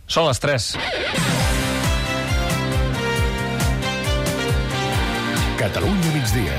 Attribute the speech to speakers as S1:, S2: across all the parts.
S1: Són les 3.
S2: Catalunya migdia.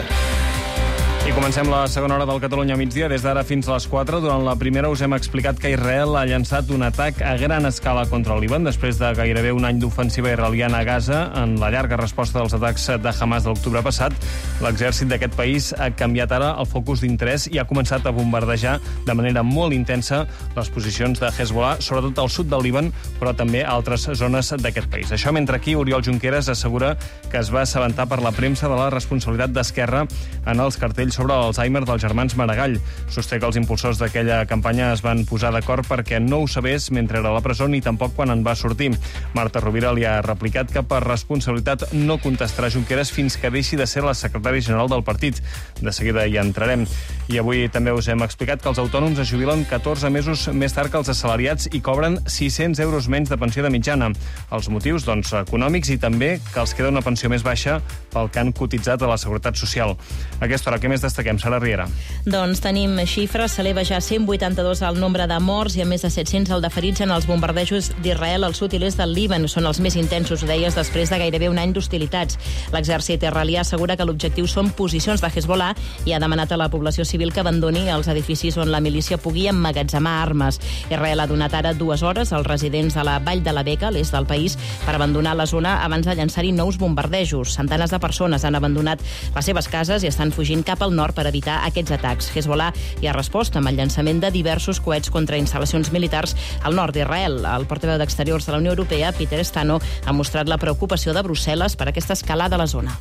S1: I comencem la segona hora del Catalunya migdia. Des d'ara fins a les 4. Durant la primera us hem explicat que Israel ha llançat un atac a gran escala contra el Líban després de gairebé un any d'ofensiva israeliana a Gaza. En la llarga resposta dels atacs de Hamas de l'octubre passat, l'exèrcit d'aquest país ha canviat ara el focus d'interès i ha començat a bombardejar de manera molt intensa les posicions de Hezbollah, sobretot al sud del Líban, però també a altres zones d'aquest país. Això mentre aquí Oriol Junqueras assegura que es va assabentar per la premsa de la responsabilitat d'Esquerra en els cartells sobre l'Alzheimer dels germans Maragall. Sosté que els impulsors d'aquella campanya es van posar d'acord perquè no ho sabés mentre era a la presó ni tampoc quan en va sortir. Marta Rovira li ha replicat que per responsabilitat no contestarà Junqueras fins que deixi de ser la secretària general del partit. De seguida hi entrarem. I avui també us hem explicat que els autònoms es jubilen 14 mesos més tard que els assalariats i cobren 600 euros menys de pensió de mitjana. Els motius, doncs, econòmics i també que els queda una pensió més baixa pel que han cotitzat a la Seguretat Social. A aquesta hora, què més destaquem? Sara Riera.
S3: Doncs tenim xifres. S'eleva ja a 182 el nombre de morts i a més de 700 el de ferits en els bombardejos d'Israel al sud i l'est del Líban. Són els més intensos, ho deies, després de gairebé un any d'hostilitats. L'exèrcit israelià assegura que l'objectiu són posicions de Hezbollah i ha demanat a la població civil que abandoni els edificis on la milícia pugui emmagatzemar armes. Israel ha donat ara 2 hores als residents de la Vall de la Beca, a l'est del país, per abandonar la zona abans de llançar-hi nous bombardejos. Centenes de persones han abandonat les seves cases i estan fugint cap al nord per evitar aquests atacs. Hezbollah hi ha respost amb el llançament de diversos coets contra instal·lacions militars al nord d'Israel. El portaveu d'Exteriors de la Unió Europea, Peter Stano, ha mostrat la preocupació de Brussel·les per aquesta escalada a la zona.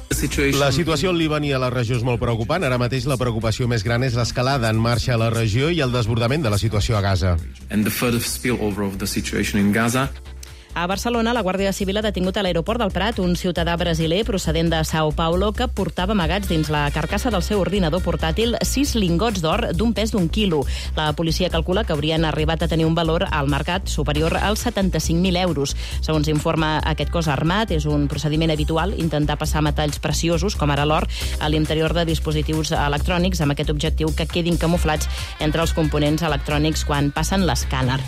S4: La situació al Líban i a la regió és molt preocupant. Ara mateix la preocupació més gran és l'escalada en marxa a la regió i el desbordament de la situació a Gaza.
S3: A Barcelona, la Guàrdia Civil ha detingut a l'aeroport del Prat un ciutadà brasiler procedent de São Paulo que portava amagats dins la carcassa del seu ordinador portàtil 6 lingots d'or d'un pes d'1 quilo. La policia calcula que haurien arribat a tenir un valor al mercat superior als 75.000 euros. Segons informa aquest cos armat, és un procediment habitual intentar passar metalls preciosos, com ara l'or, a l'interior de dispositius electrònics amb aquest objectiu que quedin camuflats entre els components electrònics quan passen l'escàner.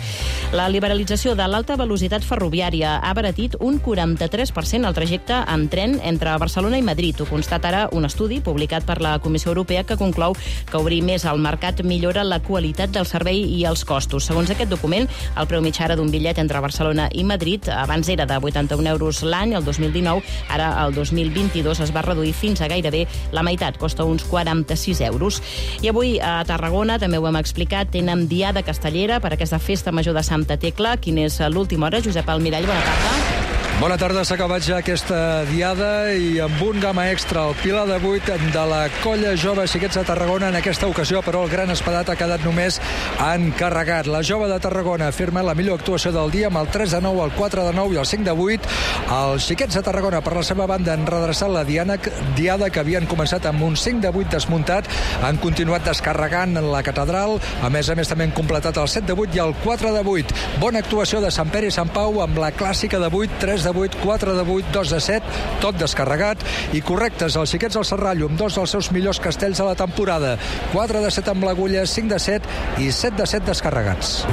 S3: La liberalització de l'alta velocitat ferroviària ha abaratit un 43% el trajecte en tren entre Barcelona i Madrid. Ho constata ara un estudi publicat per la Comissió Europea que conclou que obrir més el mercat millora la qualitat del servei i els costos. Segons aquest document, el preu mitjà d'un bitllet entre Barcelona i Madrid abans era de 81 euros l'any, el 2019, ara el 2022 es va reduir fins a gairebé la meitat, costa uns 46 euros. I avui a Tarragona, també ho hem explicat, tenen Diada Castellera per aquesta festa major de Santa Tecla. Quina és l'última hora? Josep Almirall, bona tarda.
S5: Bona tarda, s'ha acabat ja aquesta diada i amb un gamma extra al pilar de 8 de la Colla Jove Xiquets de Tarragona. En aquesta ocasió, però, el gran espadat ha quedat només encarregat. La Jove de Tarragona afirma la millor actuació del dia amb el 3 de 9, el 4 de 9 i el 5 de 8. Els Xiquets de Tarragona, per la seva banda, han redreçat la diada que havien començat amb un 5 de 8 desmuntat. Han continuat descarregant la catedral. A més, també han completat el 7 de 8 i el 4 de 8. Bona actuació de Sant Pere i Sant Pau amb la clàssica de 8, 3 de 8, 4 de 8, 2 de 7, tot descarregat, i correctes els Xiquets del Serrallo amb 2 dels seus millors castells de la temporada, 4 de 7 amb l'Agulla, 5 de 7 i 7 de 7 descarregats.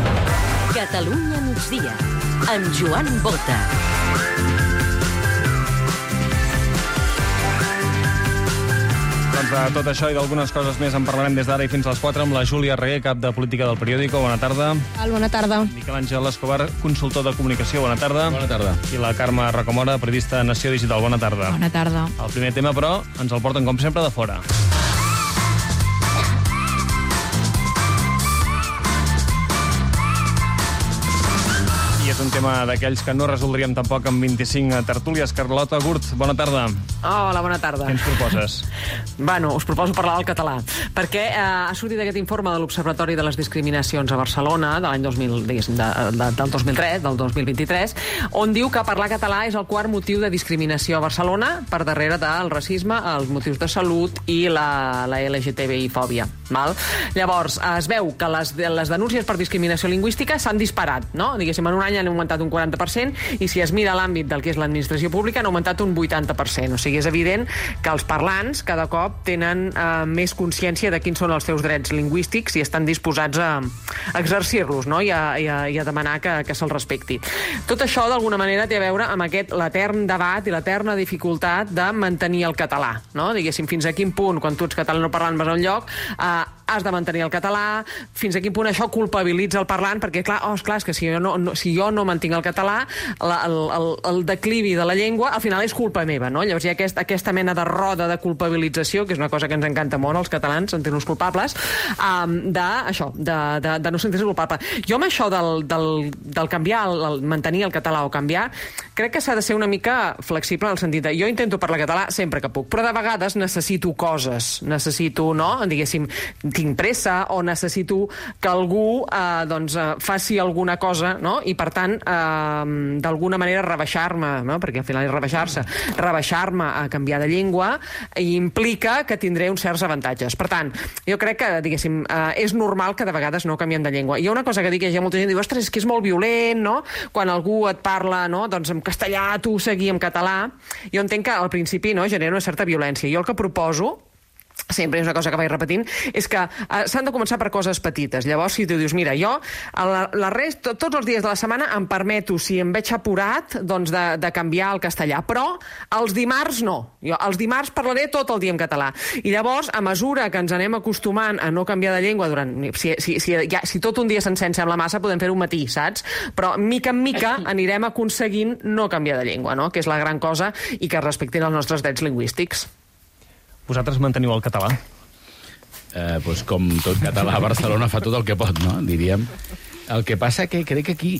S6: Catalunya migdia, amb Joan Bota.
S1: Doncs de tot això i d'algunes coses més en parlarem des d'ara i fins a les 4 amb la Júlia Reguer, cap de Política del Periódico. Bona tarda.
S7: Bona tarda.
S1: Miquel Àngel Escobar, consultor de comunicació. Bona tarda.
S4: Bona tarda.
S1: I la Carme Racomora, periodista de Nació Digital. Bona tarda.
S7: Bona tarda.
S1: El primer tema, però, ens el porten, com sempre, de fora. És un tema d'aquells que no resoldríem tampoc amb 25 tertúlies. Carlota Gurt, bona tarda.
S8: Hola, bona tarda.
S1: Què ens proposes?
S8: Bueno, us proposo parlar del català, perquè ha sortit aquest informe de l'Observatori de les Discriminacions a Barcelona de l'any 2003, del 2023, on diu que parlar català és el quart motiu de discriminació a Barcelona, per darrere del racisme, els motius de salut i la LGTBI-fòbia. Llavors, es veu que les denúncies per discriminació lingüística s'han disparat, no? Diguéssim, en un any han augmentat un 40%, i si es mira l'àmbit del que és l'administració pública, han augmentat un 80%. O sigui, és evident que els parlants cada cop tenen més consciència de quins són els seus drets lingüístics i estan disposats a exercir-los, no? I a demanar que se'ls respecti. Tot això, d'alguna manera, té a veure amb l'etern debat i l'eterna dificultat de mantenir el català, no? Diguéssim, fins a quin punt, quan tu ets catalanoparlant vas a un lloc, has de mantenir el català, fins a quin punt això culpabilitza el parlant, perquè, clar, és que si jo no mantinc el català, el declivi de la llengua, al final és culpa meva, no? Llavors hi ha aquesta mena de roda de culpabilització, que és una cosa que ens encanta molt, als catalans, sentir-nos culpables, de no sentir-se culpable. Jo amb això del canviar, el mantenir el català o canviar, crec que s'ha de ser una mica flexible en el sentit de jo intento parlar català sempre que puc, però de vegades necessito coses, no? Diguéssim, tinc pressa o necessito que algú faci alguna cosa, no? I per tant d'alguna manera rebaixar-me, no? Perquè al final és rebaixar-me a canviar de llengua implica que tindré uns certs avantatges. Per tant, jo crec que, diguéssim, és normal que de vegades no canviem de llengua. Hi ha una cosa que dic, hi ha molta gent que diu, ostres, és que és molt violent, no? Quan algú et parla, no? Doncs en castellà, tu seguir en català. Jo entenc que al principi, no, genera una certa violència. Jo el que proposo, sempre és una cosa que vaig repetint, és que s'han de començar per coses petites. Llavors, si tu dius, mira, jo tots els dies de la setmana em permeto, si em veig apurat, doncs de canviar el castellà, però els dimarts no. Jo els dimarts parlaré tot el dia en català. I llavors, a mesura que ens anem acostumant a no canviar de llengua si tot un dia sencer ens sembla massa, podem fer un matí, saps? Però mica en mica anirem aconseguint no canviar de llengua, no? Que és la gran cosa, i que respectin els nostres drets lingüístics.
S1: Vosaltres manteniu el català?
S7: Pues com tot català a Barcelona fa tot el que pot, no? Diríem. El que passa que crec que aquí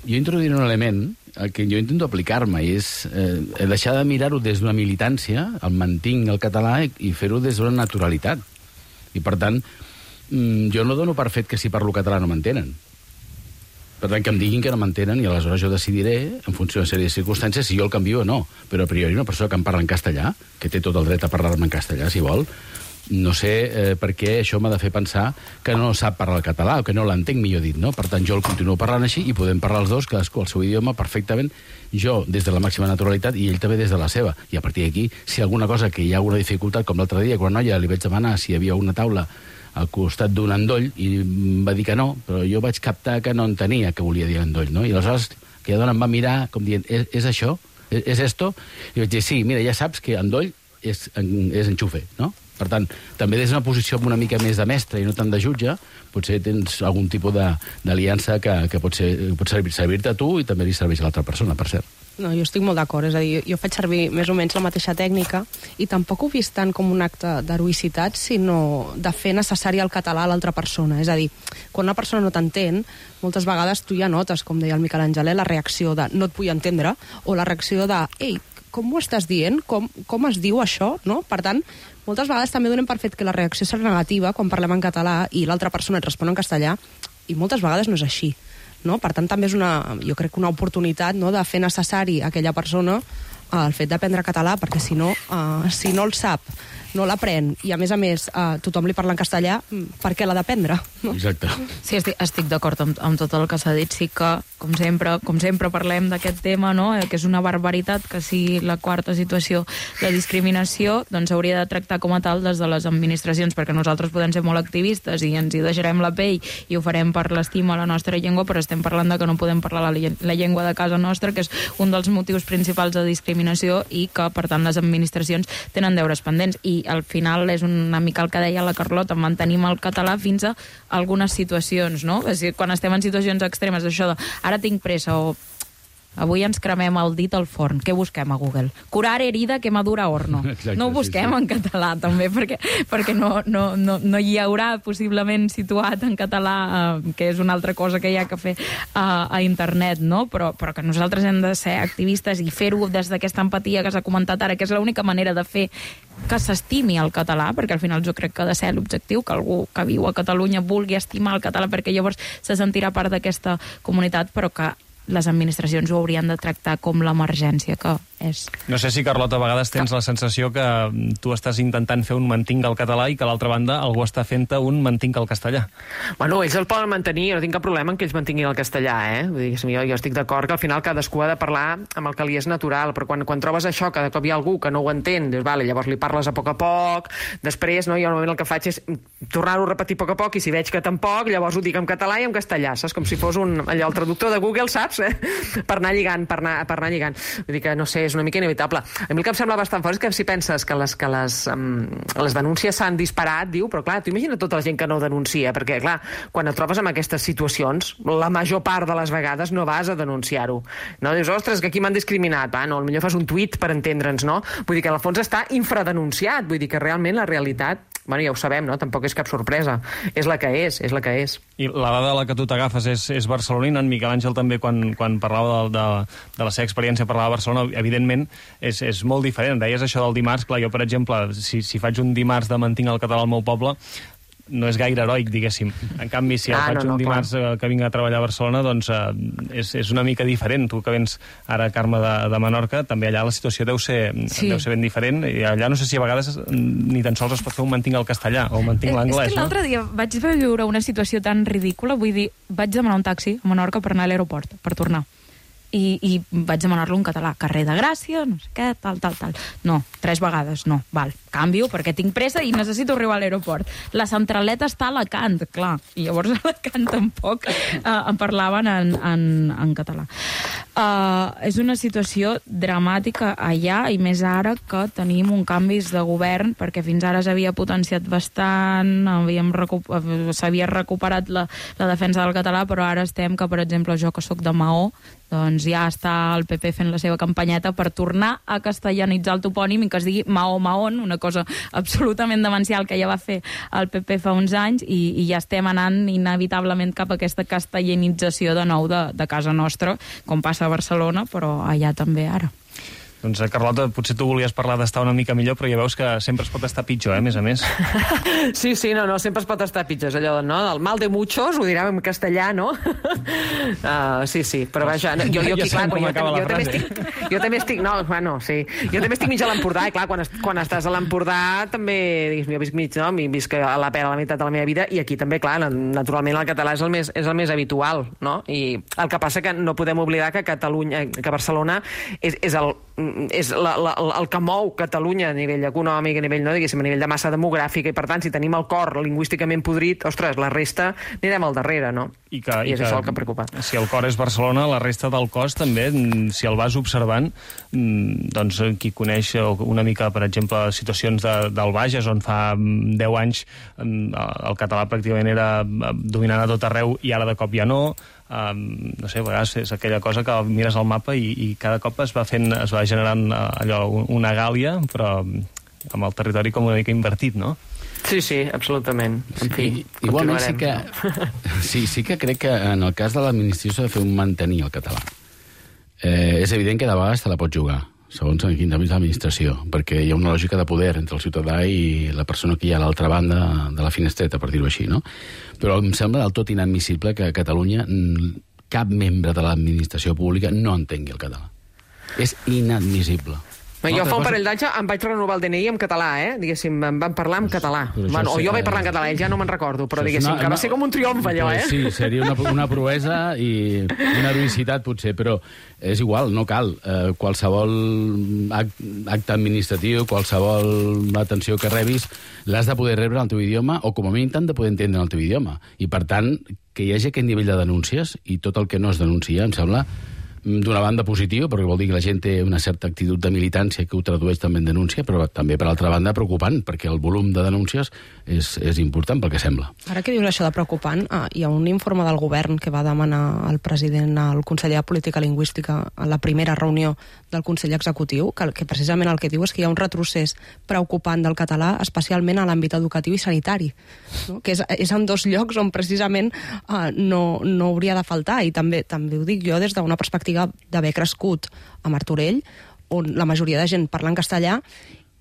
S7: jo introduiré un element al que jo intento aplicar-me, i és deixar de mirar-ho des d'una militància, el mantinc el català, i fer-ho des d'una naturalitat. I per tant, jo no dono per fet que si parlo català no m'entenen. Per tant, que em diguin que no m'entenen i aleshores jo decidiré, en funció de sèrie de circumstàncies, si jo el canvio o no. Però a priori una persona que em parla en castellà, que té tot el dret a parlar-me en castellà, si vol, no sé per què això m'ha de fer pensar que no sap parlar el català, o que no l'entenc, millor dit, no? Per tant, jo el continuo parlant així i podem parlar els dos, cadascú el seu idioma, perfectament, jo des de la màxima naturalitat i ell també des de la seva. I a partir d'aquí, si alguna cosa que hi ha alguna dificultat, com l'altre dia, quan noia li vaig demanar si hi havia una taula al costat d'un endoll, i em va dir que no, però jo vaig captar que no entenia què volia dir endoll, no? I aleshores aquella dona em va mirar com dient, és això? És esto? I vaig dir, sí, mira, ja saps que endoll és enxufe, no? Per tant, també des d'una posició una mica més de mestre i no tant de jutge, potser tens algun tipus d'aliança que pot servir-te a tu i també li serveix a l'altra persona, per cert.
S9: No, jo estic molt d'acord, és a dir, jo faig servir més o menys la mateixa tècnica i tampoc ho he vist tant com un acte d'heroïcitat, sinó de fer necessari el català a l'altra persona. És a dir, quan una persona no t'entén, moltes vegades tu ja notes, com deia el Miquel Angelè, la reacció de no et vull entendre, o la reacció de, ei, com ho estàs dient? Com es diu això? No? Per tant, moltes vegades també donem per fet que la reacció serà negativa quan parlem en català i l'altra persona et respon en castellà, i moltes vegades no és així. No? Per tant, també és jo crec una oportunitat, no?, de fer necessari a aquella persona el fet d'aprendre català, perquè si no el sap, no l'aprèn, i a més tothom li parla en castellà, per què l'ha d'aprendre? No?
S7: Exacte.
S3: Sí, estic d'acord amb tot el que s'ha dit. Sí que, com sempre parlem d'aquest tema, no?, que és una barbaritat, que sigui la quarta situació de discriminació, doncs s'hauria de tractar com a tal des de les administracions, perquè nosaltres podem ser molt activistes i ens hi deixarem la pell i ho farem per l'estima a la nostra llengua, però estem parlant de que no podem parlar la llengua de casa nostra, que és un dels motius principals de discriminació, i que, per tant, les administracions tenen deures pendents. I al final és una mica el que deia la Carlota, mantenim el català fins a algunes situacions, no? És a dir, quan estem en situacions extremes, això de ara tinc pressa o avui ens cremem el dit al forn, què busquem a Google? Curar herida quemadura horno. Exacte, no ho busquem en català, també, perquè no hi haurà possiblement situat en català, que és una altra cosa que hi ha que fer a internet, no? Però que nosaltres hem de ser activistes i fer-ho des d'aquesta empatia que s'ha comentat ara, que és l'única manera de fer que s'estimi el català, perquè al final jo crec que ha de ser l'objectiu, que algú que viu a Catalunya vulgui estimar el català, perquè llavors se sentirà part d'aquesta comunitat, però que les administracions ho haurien de tractar com l'emergència que
S10: és.
S1: No sé si, Carlota, a vegades tens la sensació que tu estàs intentant fer un mantinc al català i que a l'altra banda algú està fent-te un mantinc al castellà.
S8: Bueno, ells el poden mantenir, no tinc cap problema en que ells mantinguin el castellà, Vull dir, jo estic d'acord que al final cadascú ha de parlar amb el que li és natural, però quan trobes això, que de cop hi ha algú que no ho entén, dius, vale, llavors li parles a poc, després, no, jo normalment el que faig és tornar-ho a repetir a poc, i si veig que tampoc, llavors ho dic en català i en castellà, saps? Com si fos allò, el traductor de Google, saps? Per anar lligant. Vull dir que, no sé, és una mica inevitable. A mi el que em sembla bastant fort és que si penses que les denúncies s'han disparat, diu, però clar, tu imagina tota la gent que no denuncia, perquè clar, quan et trobes en aquestes situacions, la major part de les vegades no vas a denunciar-ho. No? Dius, ostres, que aquí m'han discriminat, potser fas un tuit per entendre'ns, no? Vull dir que en el fons està infradenunciat, vull dir que realment la realitat, ja ho sabem, no? Tampoc és cap sorpresa. És la que és.
S1: I la dada a la que tu t'agafes és barcelonina. En Miquel Àngel també, quan parlava de la seva experiència, parlava de Barcelona, evidentment és molt diferent. Deies això del dimarts, clar, jo, per exemple, si faig un dimarts de mantinc el català al meu poble, no és gaire heroic, diguéssim. En canvi, si faig un dimarts que vinc a treballar a Barcelona, doncs és una mica diferent. Tu que vens ara, Carme, de Menorca, també allà la situació deu ser ben diferent, i allà no sé si a vegades ni tan sols es pot fer un mantinc al castellà o un mantinc l'anglès,
S10: no? És que l'altre dia vaig viure una situació tan ridícula, vull dir, vaig demanar un taxi a Menorca per anar a l'aeroport, per tornar. I vaig demanar-lo en català, carrer de Gràcia, no sé què, tal. No, 3 vegades, no, val, canvio perquè tinc pressa i necessito arribar a l'aeroport. La centraleta està a Alacant, clar, i llavors a Alacant tampoc em parlaven en català. És una situació dramàtica allà, i més ara que tenim un canvis de govern, perquè fins ara s'havia potenciat bastant, s'havia recuperat la defensa del català, però ara estem que, per exemple, jo que sóc de Maó, doncs ja està el PP fent la seva campanyeta per tornar a castellanitzar el topònim i que es digui Mahó-Mahón, una cosa absolutament demencial que ja va fer el PP fa uns anys, i ja estem anant inevitablement cap a aquesta castellanització de nou de casa nostra, com passa a Barcelona, però allà també ara.
S1: Doncs, Carlota, potser tu volies parlar d'estar una mica millor, però ja veus que sempre es pot estar pitjor, a més a més.
S8: Sí, no, sempre es pot estar pitjor. És allò, no? El mal de muchos, ho direm en castellà, no? Sí, però vaja, jo aquí, clar, jo també estic... No, bueno, sí. Jo també estic mig a l'Empordà, i clar, quan estàs a l'Empordà també, jo visc mig, no? Visc a la pera la meitat de la meva vida, i aquí també, clar, naturalment el català és el més habitual, no? I el que passa que no podem oblidar que Barcelona és el que mou Catalunya a nivell econòmic, a nivell, no, diguéssim, a nivell de massa demogràfica, i per tant, si tenim el cor lingüísticament podrit, ostres, la resta anirem al darrere, no? I és això el que preocupa.
S1: Si el cor és Barcelona, la resta del cos també, si el vas observant, doncs qui coneix una mica, per exemple, situacions del Bages, on fa 10 anys el català pràcticament era dominant a tot arreu i ara de cop ja no. No sé, a vegades és aquella cosa que mires al mapa i cada cop es va generant allò, una gàlia, però amb el territori com una mica invertit, no?
S8: Sí, absolutament. En fi,
S7: igualment sí que crec que en el cas de l'administració s'ha de fer un mantenir el català. És evident que de vegades te la pots jugar, segons en quin àmbit de l'administració, perquè hi ha una lògica de poder entre el ciutadà i la persona que hi ha a l'altra banda de la finestreta, per dir-ho així, no? Però em sembla del tot inadmissible que a Catalunya cap membre de l'administració pública no entengui el català. És inadmissible.
S8: Jo fa un parell d'anys em vaig renovar el DNI en català, diguéssim, em van parlar en català. O jo vaig parlar en català, ja no me'n recordo, però diguéssim que va ser com un triomf allò,
S7: Sí, seria una proesa i una heroïcitat potser, però és igual, no cal. Qualsevol acte administratiu, qualsevol atenció que rebis, l'has de poder rebre en el teu idioma, o com a mínim t'han de poder entendre en el teu idioma. I per tant, que hi hagi aquest nivell de denúncies, i tot el que no es denuncia, em sembla d'una banda positiu, perquè vol dir que la gent té una certa actitud de militància que ho tradueix també en denúncia, però també, per altra banda, preocupant, perquè el volum de denúncies és important pel que sembla.
S9: Ara que dius això de preocupant, hi ha un informe del govern que va demanar el president al conseller de Política Lingüística a la primera reunió del Consell Executiu, que precisament el que diu és que hi ha un retrocés preocupant del català, especialment a l'àmbit educatiu i sanitari, no? Que és en 2 llocs on precisament no hauria de faltar, i també ho dic jo des d'una perspectiva d'haver crescut a Martorell, on la majoria de gent parla en castellà,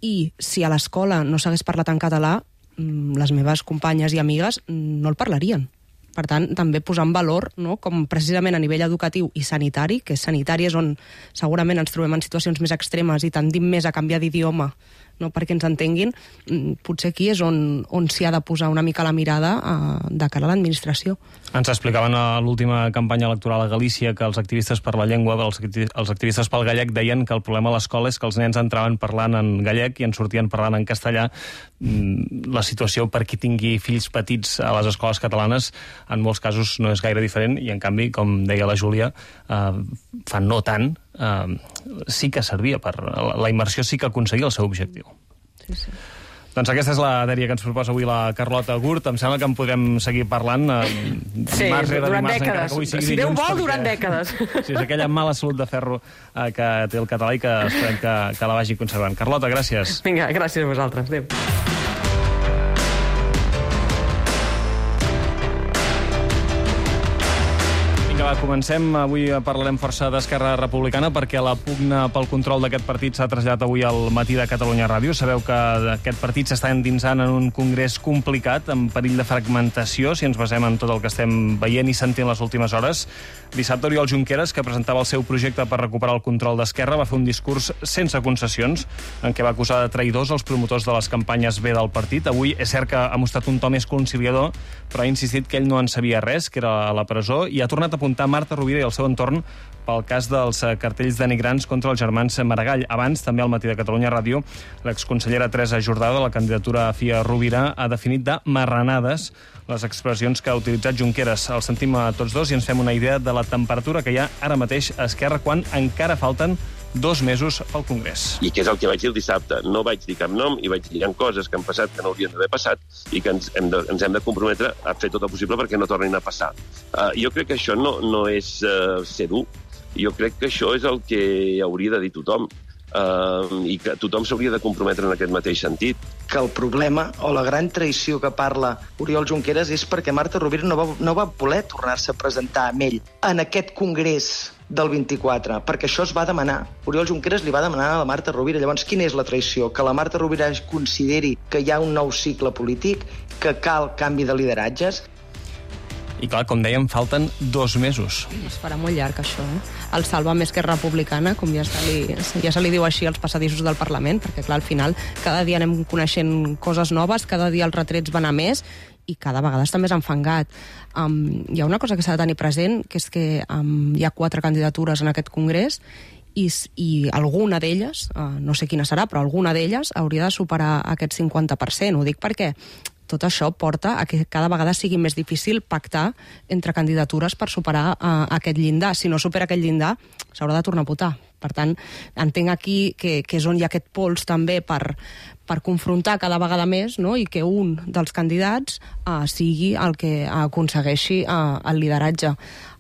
S9: i si a l'escola no s'hagués parlat en català, les meves companyes i amigues no el parlarien. Per tant, també posar en valor, no?, com precisament a nivell educatiu i sanitari, que sanitari és on segurament ens trobem en situacions més extremes i tendim més a canviar d'idioma, no, perquè ens entenguin, potser aquí és on s'hi ha de posar una mica la mirada de cara a l'administració.
S1: Ens explicaven a l'última campanya electoral a Galícia que els activistes per la llengua, els activistes pel gallec, deien que el problema a l'escola és que els nens entraven parlant en gallec i en sortien parlant en castellà. La situació per qui tingui fills petits a les escoles catalanes en molts casos no és gaire diferent i, en canvi, com deia la Júlia, fa no tant, sí que servia per... La immersió sí que aconseguia el seu objectiu.
S9: Sí, sí.
S1: Doncs aquesta és la dèria que ens proposa avui la Carlota Gurt. Em sembla que en podem seguir parlant
S8: sí, durant dècades. Si Déu vol, durant dècades.
S1: Sí, és aquella mala salut de ferro que té el català i que esperem que la vagi conservant. Carlota, gràcies.
S8: Vinga, gràcies a vosaltres. Adéu.
S1: Comencem. Avui parlarem força d'Esquerra Republicana perquè la pugna pel control d'aquest partit s'ha traslladat avui al matí de Catalunya Ràdio. Sabeu que aquest partit s'està endinsant en un congrés complicat, amb perill de fragmentació, si ens basem en tot el que estem veient i sentint les últimes hores. Dissabte, Oriol Junqueras, que presentava el seu projecte per recuperar el control d'Esquerra, va fer un discurs sense concessions, en què va acusar de traïdors els promotors de les campanyes B del partit. Avui és cert que ha mostrat un to més conciliador, però ha insistit que ell no en sabia res, que era a la presó, i ha tornat a apuntar Marta Rovira i el seu entorn pel cas dels cartells denigrants contra els germans Maragall. Abans, també al matí de Catalunya Ràdio, l'exconsellera Teresa Jordà de la candidatura a Fia Rovira ha definit de marranades les expressions que ha utilitzat Junqueras. El sentim a tots dos i ens fem una idea de la temperatura que hi ha ara mateix a Esquerra quan encara falten 2 mesos pel Congrés.
S11: I què és el que vaig dir el dissabte? No vaig dir cap nom i vaig dir hi ha coses que han passat que no haurien d'haver passat i que ens hem de comprometre a fer tot el possible perquè no tornin a passar. Jo crec que això no és ser dur. Jo crec que això és el que hauria de dir tothom. I que tothom s'hauria de comprometre en aquest mateix sentit.
S12: Que el problema o la gran traïció que parla Oriol Junqueras és perquè Marta Rovira no va voler tornar-se a presentar amb ell en aquest congrés del 24, perquè això es va demanar. Oriol Junqueras li va demanar a la Marta Rovira. Llavors, quina és la traïció? Que la Marta Rovira consideri que hi ha un nou cicle polític, que cal canvi de lideratges.
S1: I clar, com dèiem, falten 2 mesos.
S9: Es farà molt llarg, això, El Sálvame Esquerra Republicana, com ja se li diu així als passadissos del Parlament, perquè, clar, al final, cada dia anem coneixent coses noves, cada dia els retrets van a més, i cada vegada està més enfangat. Hi ha una cosa que s'ha de tenir present, que és que hi ha 4 candidatures en aquest congrés, i alguna d'elles, no sé quina serà, però alguna d'elles hauria de superar aquest 50%. Ho dic perquè tot això porta a que cada vegada sigui més difícil pactar entre candidatures per superar aquest llindar. Si no supera aquest llindar, s'haurà de tornar a votar. Per tant, entenc aquí que és on hi ha aquest pols també per confrontar cada vegada més, no?, i que un dels candidats sigui el que aconsegueixi el lideratge.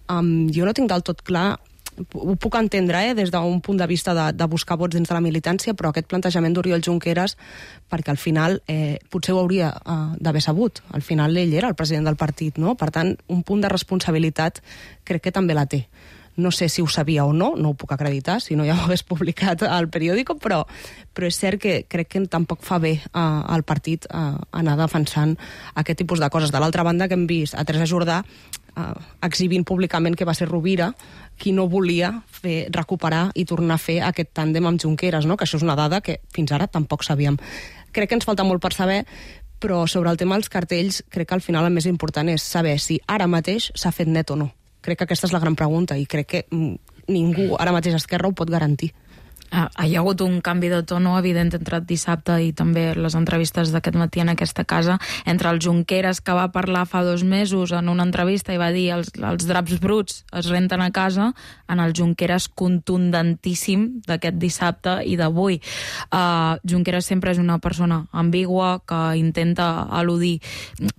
S9: Jo no tinc del tot clar, ho puc entendre des d'un punt de vista de buscar vots dins de la militància, però aquest plantejament d'Oriol Junqueras, perquè al final potser ho hauria d'haver sabut. Al final ell era el president del partit, no? Per tant, un punt de responsabilitat crec que també la té. No sé si ho sabia o no ho puc acreditar, si no ja ho hagués publicat al periòdico, però és cert que crec que tampoc fa bé al partit anar defensant aquest tipus de coses. De l'altra banda, que hem vist a Teresa Jordà exhibint públicament que va ser Rovira qui no volia recuperar i tornar a fer aquest tàndem amb Junqueras, no? Que això és una dada que fins ara tampoc sabíem. Crec que ens falta molt per saber, però sobre el tema dels cartells crec que al final el més important és saber si ara mateix s'ha fet net o no. Crec que aquesta és la gran pregunta i crec que ningú ara mateix a Esquerra ho pot garantir.
S10: Hi ha hagut un canvi de tono evident entre dissabte i també les entrevistes d'aquest matí en aquesta casa, entre el Junqueras, que va parlar fa 2 mesos en una entrevista i va dir els draps bruts es renten a casa, en el Junqueras contundentíssim d'aquest dissabte i d'avui. Junqueras sempre és una persona ambigua que intenta eludir,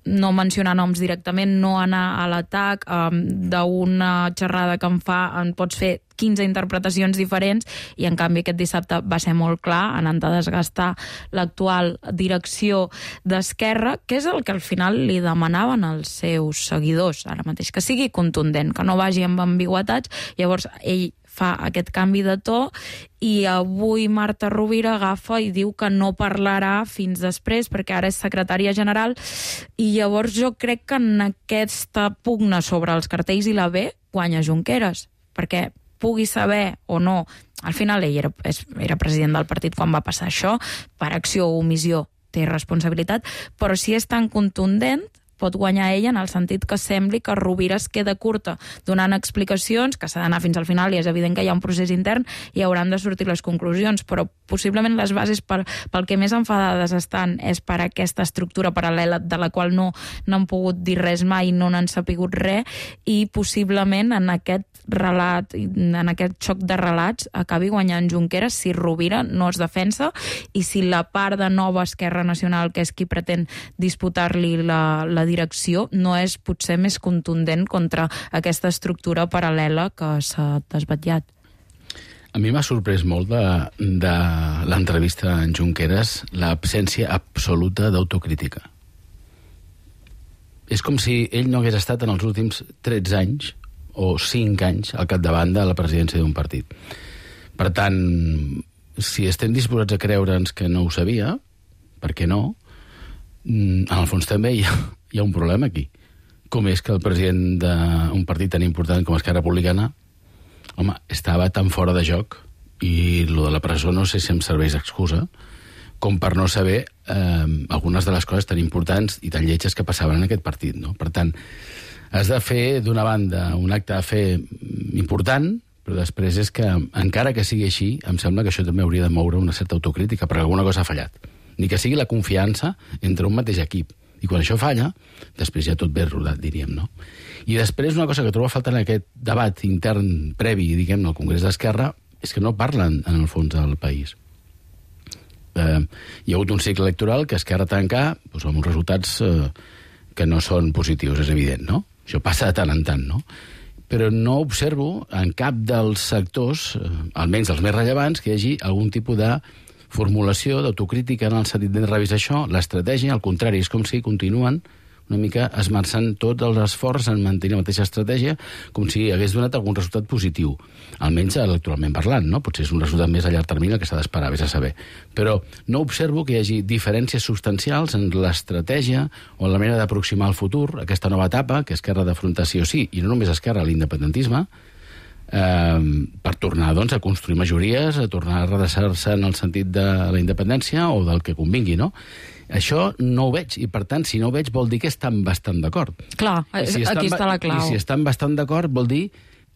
S10: no mencionar noms directament, no anar a l'atac. D'una xerrada que em pots fer 15 interpretacions diferents i en canvi aquest dissabte va ser molt clar, anant a desgastar l'actual direcció d'Esquerra, que és el que al final li demanaven els seus seguidors ara mateix, que sigui contundent, que no vagi amb ambigüetats. Llavors ell fa aquest canvi de to i avui Marta Rovira agafa i diu que no parlarà fins després perquè ara és secretària general i llavors jo crec que en aquesta pugna sobre els cartells i la B guanya Junqueras, perquè pugui saber o no, al final ell era president del partit quan va passar això, per acció o omissió té responsabilitat, però si és tan contundent pot guanyar ella en el sentit que sembli que Rovira es queda curta donant explicacions, que s'ha d'anar fins al final i és evident que hi ha un procés intern i hauran de sortir les conclusions, però possiblement les bases pel que més enfadades estan és per aquesta estructura paral·lela de la qual no n'han pogut dir res mai, no n'han sapigut res i possiblement en aquest relat, en aquest xoc de relats acabi guanyant Junqueras si Rovira no es defensa i si la part de nova Esquerra Nacional, que és qui pretén disputar-li la direcció, no és potser més contundent contra aquesta estructura paral·lela que s'ha desvetllat.
S7: A mi m'ha sorprès molt de l'entrevista en Junqueras l'absència absoluta d'autocrítica. És com si ell no hagués estat en els últims 13 anys o 5 anys al capdavant de la presidència d'un partit. Per tant, si estem disposats a creure'ns que no ho sabia, per què no? En el fons també hi ha un problema aquí. Com és que el president d'un partit tan important com Esquerra Republicana, home, estava tan fora de joc i lo de la presó no sé si em serveix d'excusa com per no saber algunes de les coses tan importants i tan lletges que passaven en aquest partit, no? Per tant, has de fer, d'una banda, un acte de fe important, però després és que, encara que sigui així, em sembla que això també hauria de moure una certa autocrítica, perquè alguna cosa ha fallat. Ni que sigui la confiança entre un mateix equip. I quan això falla, després ja tot ve rodat, diríem, no? I després una cosa que trobo a faltar en aquest debat intern previ, diguem-ne, al Congrés d'Esquerra, és que no parlen, en el fons, del país. Hi ha hagut un cicle electoral que Esquerra tanca doncs, amb uns resultats que no són positius, és evident, no? Això passa de tant en tant, no? Però no observo en cap dels sectors, almenys els més rellevants, que hi hagi algun tipus de formulació d'autocrítica en el sentit de revisar això, l'estratègia, al contrari, és com si continuen una mica esmerçant tot l'esforç en mantenir la mateixa estratègia com si hagués donat algun resultat positiu, almenys electoralment parlant, no? Potser és un resultat més a llarg termini que s'ha d'esperar, vés a saber. Però no observo que hi hagi diferències substancials en l'estratègia o en la manera d'aproximar el futur, aquesta nova etapa, que Esquerra d'afrontar sí o sí, i no només Esquerra, l'independentisme, per tornar doncs, a construir majories, a tornar a redreçar-se en el sentit de la independència o del que convingui, no? Això no ho veig, i per tant, si no ho veig vol dir que estan bastant d'acord.
S10: Clar, aquí està la clau.
S7: I si estan bastant d'acord vol dir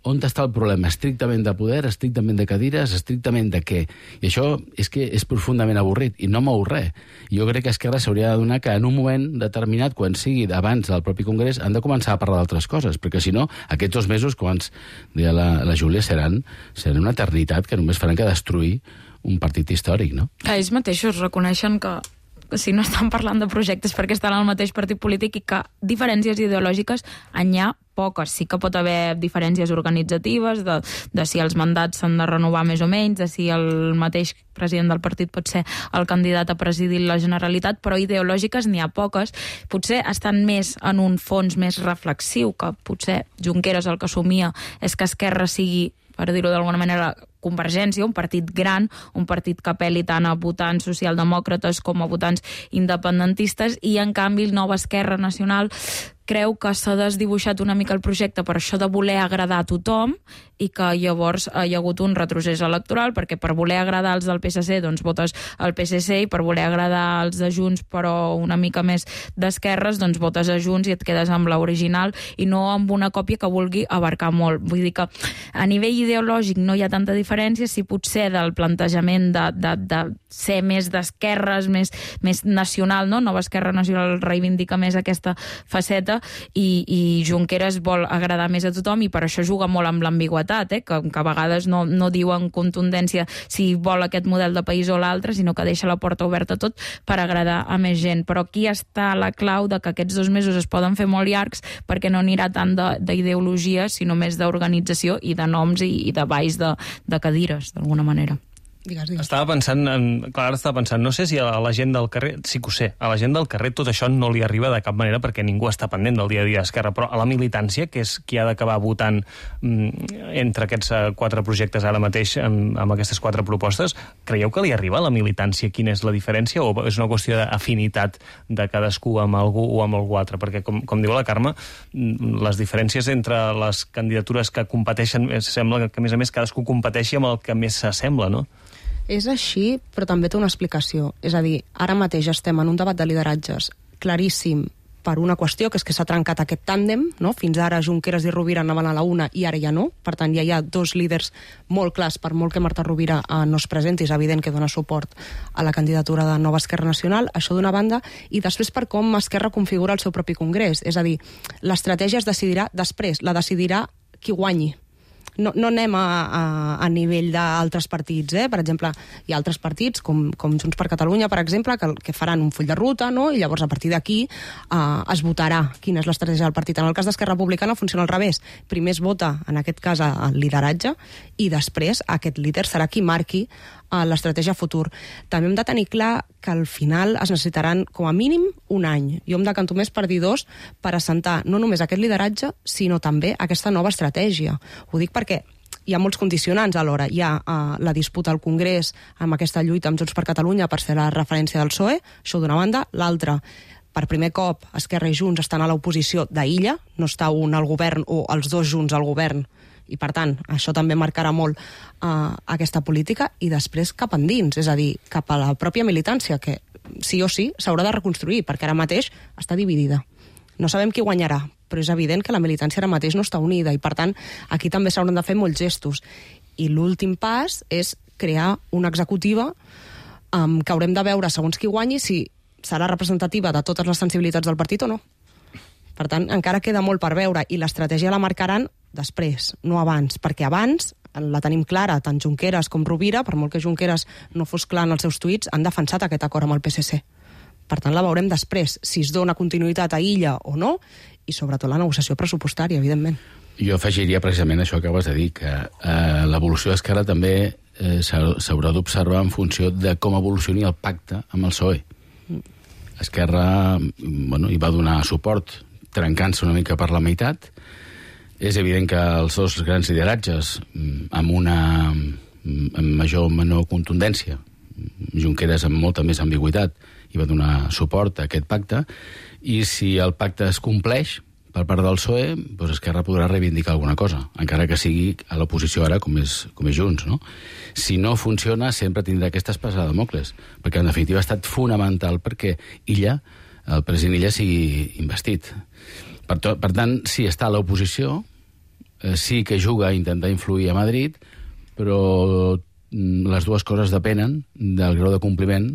S7: on està el problema, estrictament de poder, estrictament de cadires, estrictament de què? I això és que és profundament avorrit, i no mou res. Jo crec que Esquerra s'hauria de donar que en un moment determinat, quan sigui abans del propi Congrés, han de començar a parlar d'altres coses, perquè si no, aquests 2 mesos, com ens deia la Júlia, seran una eternitat que només faran que destruir un partit històric, no?
S10: Ells mateixos reconeixen que si no estan parlant de projectes perquè estan al mateix partit polític i que diferències ideològiques en hi ha poques. Sí que pot haver diferències organitzatives de si els mandats s'han de renovar més o menys, de si el mateix president del partit pot ser el candidat a presidir la Generalitat, però ideològiques n'hi ha poques. Potser estan més en un fons més reflexiu, que potser Junqueras el que assumia és que Esquerra sigui, per dir-ho d'alguna manera, Convergència, un partit gran, un partit que apel·li tant a votants socialdemòcrates com a votants independentistes, i en canvi el Nova Esquerra Nacional creu que s'ha desdibuixat una mica el projecte per això de voler agradar a tothom i que llavors hi ha hagut un retrocés electoral, perquè per voler agradar als del PSC doncs votes al PSC, i per voler agradar als de Junts però una mica més d'esquerres doncs votes a Junts i et quedes amb l'original i no amb una còpia que vulgui abarcar molt. Vull dir que a nivell ideològic no hi ha tanta diferència, si potser del plantejament de ser més d'esquerres, més nacional, no? Nova Esquerra Nacional reivindica més aquesta faceta, i Junqueras vol agradar més a tothom i per això juga molt amb l'ambigüetat, que a vegades no diu en contundència si vol aquest model de país o l'altre, sinó que deixa la porta oberta a tot per agradar a més gent. Però aquí està la clau de que aquests 2 mesos es poden fer molt llargs perquè no anirà tant d'ideologia, sinó més d'organització i de noms i de balls de cadires, d'alguna manera.
S9: Digues.
S1: Estava pensant, no sé si a la gent del carrer, sí que ho sé, a la gent del carrer tot això no li arriba de cap manera perquè ningú està pendent del dia a dia d'Esquerra, però a la militància, que és qui ha d'acabar votant entre aquests 4 projectes ara mateix, amb aquestes 4 propostes, creieu que li arriba a la militància quina és la diferència o és una qüestió d'afinitat de cadascú amb algú o amb algú altre? Perquè, com diu la Carme, les diferències entre les candidatures que competeixen, sembla que a més cadascú competeixi amb el que més s'assembla, no?
S9: És així, però també té una explicació. És a dir, ara mateix estem en un debat de lideratges claríssim per una qüestió, que és que s'ha trencat aquest tàndem, no? Fins ara Junqueras i Rovira anaven a la una i ara ja no. Per tant, ja hi ha 2 líders molt clars, per molt que Marta Rovira no es presenti, és evident que dona suport a la candidatura de Nova Esquerra Nacional, això d'una banda, i després per com Esquerra configura el seu propi congrés. És a dir, l'estratègia es decidirà després, la decidirà qui guanyi. No anem a nivell d'altres partits, Per exemple, hi ha altres partits, com Junts per Catalunya, per exemple, que faran un full de ruta, no? I llavors a partir d'aquí es votarà quina és l'estratègia del partit. En el cas d'Esquerra Republicana funciona al revés. Primer es vota, en aquest cas, el lideratge, i després aquest líder serà qui marqui l'estratègia futur. També hem de tenir clar que al final es necessitaran com a mínim un any. Jo em decanto més per dir 2 per assentar no només aquest lideratge, sinó també aquesta nova estratègia. Ho dic perquè hi ha molts condicionants alhora. Hi ha la disputa al Congrés amb aquesta lluita amb Junts per Catalunya per ser la referència del PSOE, això d'una banda. L'altra, per primer cop, Esquerra i Junts estan a l'oposició d'illa, no està un al govern o els 2 junts al govern, i per tant, això també marcarà molt aquesta política, i després cap endins, és a dir, cap a la pròpia militància, que sí o sí s'haurà de reconstruir, perquè ara mateix està dividida. No sabem qui guanyarà, però és evident que la militància ara mateix no està unida, i per tant, aquí també s'hauran de fer molts gestos. I l'últim pas és crear una executiva que haurem de veure, segons qui guanyi, si serà representativa de totes les sensibilitats del partit o no. Per tant, encara queda molt per veure, i l'estratègia la marcaran després, no abans, perquè abans la tenim clara, tant Junqueras com Rovira, per molt que Junqueras no fos clar en els seus tuits, han defensat aquest acord amb el PSC. Per tant, la veurem després, si es dona continuïtat a illa o no, i sobretot la negociació pressupostària, evidentment.
S7: Jo afegiria precisament això que acabes de dir, que l'evolució d'Esquerra també s'haurà d'observar en funció de com evolucioni el pacte amb el PSOE. Esquerra hi va donar suport trencant-se una mica per la meitat. És evident que els 2 grans lideratges, amb major o menor contundència, Junqueras amb molta més ambigüitat, i va donar suport a aquest pacte, i si el pacte es compleix per part del PSOE, doncs Esquerra podrà reivindicar alguna cosa, encara que sigui a l'oposició ara com és Junts, no? Si no funciona, sempre tindrà aquesta espasa de Dàmocles, perquè en definitiva ha estat fonamental perquè el president Illa sigui investit. Per tant, sí, està a l'oposició, sí que juga a intentar influir a Madrid, però les 2 coses depenen del grau de compliment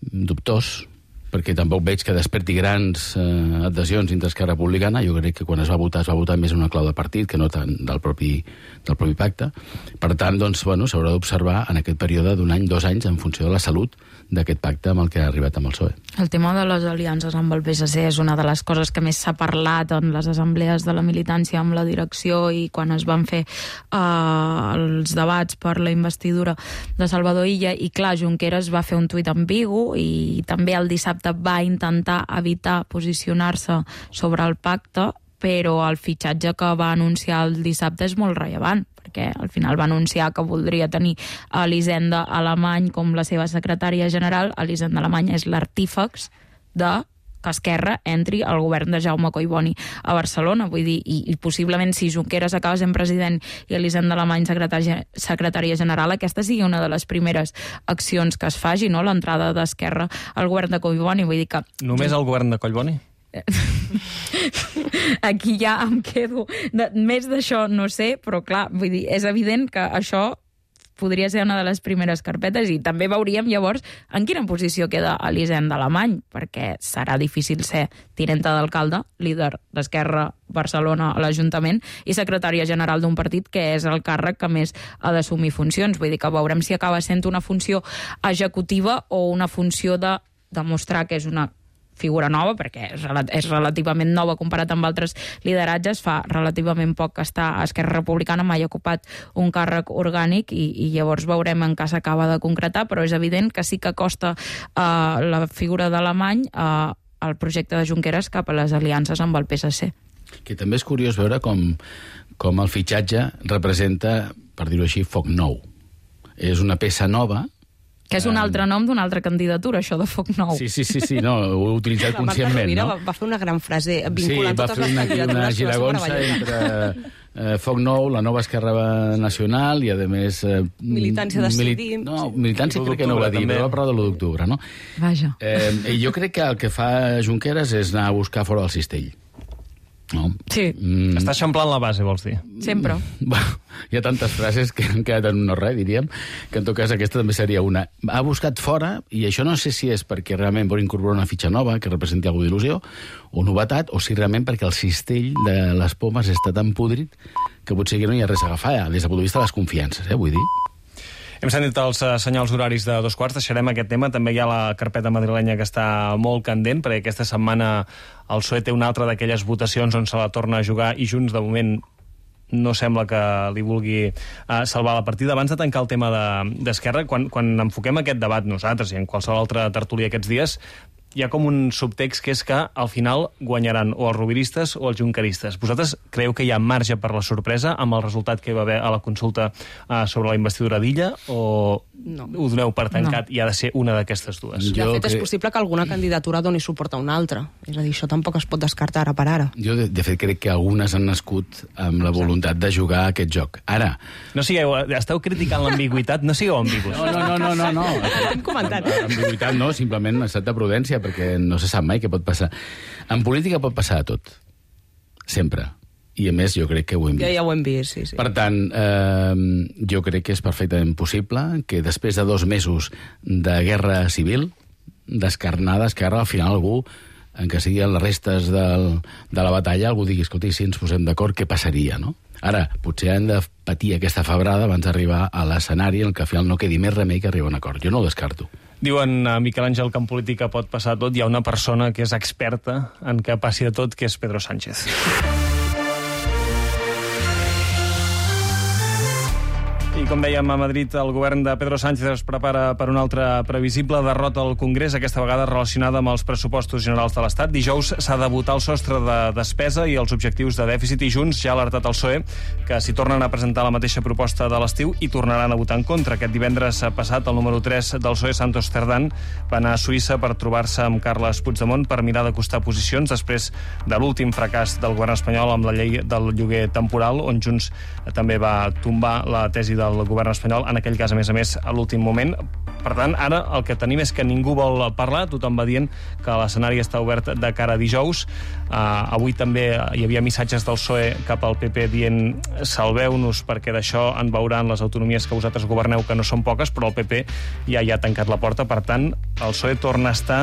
S7: dubtós, perquè tampoc veig que desperti grans adhesions dintre Esquerra Republicana. Jo crec que quan es va votar més una clau de partit que no tant del propi pacte. Per tant, doncs, s'haurà d'observar en aquest període d'un any, 2 anys, en funció de la salut d'aquest pacte amb el que ha arribat amb el PSOE.
S10: El tema de les aliances amb el PSC és una de les coses que més s'ha parlat en les assemblees de la militància amb la direcció i quan es van fer els debats per la investidura de Salvador Illa, i clar, Junqueras va fer un tuit ambigu i també el dissabte va intentar evitar posicionar-se sobre el pacte, però el fitxatge que va anunciar el dissabte és molt rellevant, perquè al final va anunciar que voldria tenir Elisenda Alemany com la seva secretària general. Elisenda Alemany és l'artífex de que Esquerra entri al govern de Jaume Collboni a Barcelona. Vull dir, i possiblement si Junqueras acaba sent president i Elisenda Alemany secretària general, aquesta sigui una de les primeres accions que es faci, no? L'entrada d'Esquerra al govern de Collboni. Vull dir que...
S1: Només al govern de Collboni?
S10: Aquí ja em quedo. Més d'això no sé, però clar, vull dir, és evident que això podria ser una de les primeres carpetes, i també veuríem llavors en quina posició queda Elisenda Alemany, perquè serà difícil ser tinenta d'alcalde, líder d'Esquerra Barcelona a l'Ajuntament i secretària general d'un partit que és el càrrec que més ha d'assumir funcions. Vull dir que veurem si acaba sent una funció executiva o una funció de demostrar que és una figura nova, perquè és relativament nova comparat amb altres lideratges. Fa relativament poc que està a Esquerra Republicana, mai ha ocupat un càrrec orgànic i llavors veurem en què s'acaba de concretar, però és evident que sí que costa la figura d'Alemany el projecte de Junqueras cap a les aliances amb el PSC.
S7: Que també és curiós veure com el fitxatge representa, per dir-ho així, foc nou. És una peça nova.
S10: Que és un altre nom d'una altra candidatura, això de foc nou.
S7: Sí, no, ho he utilitzat conscientment.
S9: La Marta Rovira va fer una gran frase vinculant totes les candidatures.
S7: Sí, va fer una giragonsa entre foc nou, la nova Esquerra Nacional i, a més...
S9: militància decidim.
S7: No, militància crec que no ho va dir, però va parlar de l'1 d'octubre, no?
S10: Vaja.
S7: Jo crec que el que fa Junqueras és anar a buscar fora del cistell. No?
S10: Sí.
S1: Està eixamplant la base, vols dir?
S10: Sempre.
S7: Hi ha tantes frases que han quedat en un no res, diríem, que en tot cas aquesta també seria una. Ha buscat fora, i això no sé si és perquè realment vol incorporar una fitxa nova que representi alguna d'il·lusió, o novetat, o si realment perquè el cistell de les pomes està tan podrit que potser no hi ha res a agafar, des del punt de vista de les confiances, vull dir.
S1: Hem sentit els senyals horaris de 2:15, deixarem aquest tema. També hi ha la carpeta madrilenya que està molt candent, perquè aquesta setmana el PSOE té una altra d'aquelles votacions on se la torna a jugar i Junts, de moment, no sembla que li vulgui salvar la partida. Abans de tancar el tema d'Esquerra, quan enfoquem aquest debat nosaltres i en qualsevol altra tertúlia aquests dies, hi ha com un subtext que és que al final guanyaran o els roviristes o els junqueristes. Vosaltres creieu que hi ha marge per la sorpresa amb el resultat que hi va haver a la consulta sobre la investidura d'Illa, o ho doneu per tancat i ha de ser una d'aquestes dues?
S9: De fet, és possible que alguna candidatura doni suport a una altra. És a dir, això tampoc es pot descartar ara per ara.
S7: Jo, de fet, crec que algunes han nascut amb la voluntat de jugar a aquest joc. Ara...
S1: No sigueu... Esteu criticant l'ambigüitat? No sigueu ambigus.
S7: No.
S9: Hem comentat.
S7: Ambigüitat no, simplement un estat de prudència, perquè no se sap mai què pot passar. En política pot passar de tot. Sempre. I, a més, jo crec que ho hem vist.
S9: Ja ho hem vist, sí.
S7: Per tant, jo crec que és perfectament possible que després de 2 mesos de guerra civil, descarnada, al final algú, en què siguin les restes de la batalla, algú digui, escolti, si ens posem d'acord, què passaria, no? Ara, potser han de patir aquesta febrada abans d'arribar a l'escenari en què al final no quedi més remei que arribar a un acord. Jo no ho descarto.
S1: Diuen a Miquel Àngel que en política pot passar tot. Hi ha una persona que és experta en que passi de tot, que és Pedro Sánchez. I com dèiem, a Madrid el govern de Pedro Sánchez es prepara per una altra previsible derrota al Congrés, aquesta vegada relacionada amb els pressupostos generals de l'Estat. Dijous s'ha de votar el sostre de despesa i els objectius de dèficit, i Junts ja ha alertat el PSOE que si tornen a presentar la mateixa proposta de l'estiu hi tornaran a votar en contra. Aquest divendres passat el número 3 del PSOE, Santos Cerdán, va anar a Suïssa per trobar-se amb Carles Puigdemont per mirar d'acostar posicions després de l'últim fracàs del govern espanyol amb la llei del lloguer temporal, on Junts també va tombar la tesi del govern espanyol, en aquell cas, a més, a l'últim moment. Per tant, ara el que tenim és que ningú vol parlar, tothom va dient que l'escenari està obert de cara a dijous. Avui també hi havia missatges del PSOE cap al PP dient salveu-nos perquè d'això en veuran les autonomies que vosaltres governeu, que no són poques, però el PP ja hi ha tancat la porta. Per tant, el PSOE torna a estar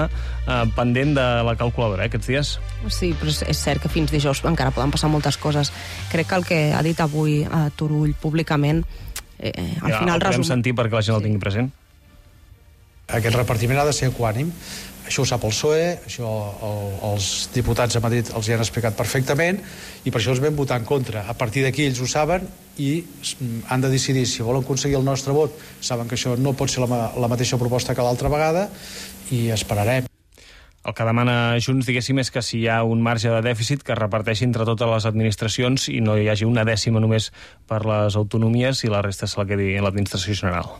S1: pendent de la calculadora aquests dies.
S9: Sí, però és cert que fins dijous encara poden passar moltes coses. Crec que el que ha dit avui Turull públicament al final
S1: podem sentir perquè la gent el tingui present.
S13: Aquest repartiment ha de ser equànim. Això ho sap el PSOE, això els diputats a Madrid els hi han explicat perfectament, i per això els vam votar en contra. A partir d'aquí ells ho saben i han de decidir si volen aconseguir el nostre vot. Saben que això no pot ser la mateixa proposta que l'altra vegada, i esperarem.
S1: El que demana Junts, diguéssim, és que si hi ha un marge de dèficit que es reparteixi entre totes les administracions i no hi hagi una dècima només per les autonomies i la resta se la quedi en l'administració general.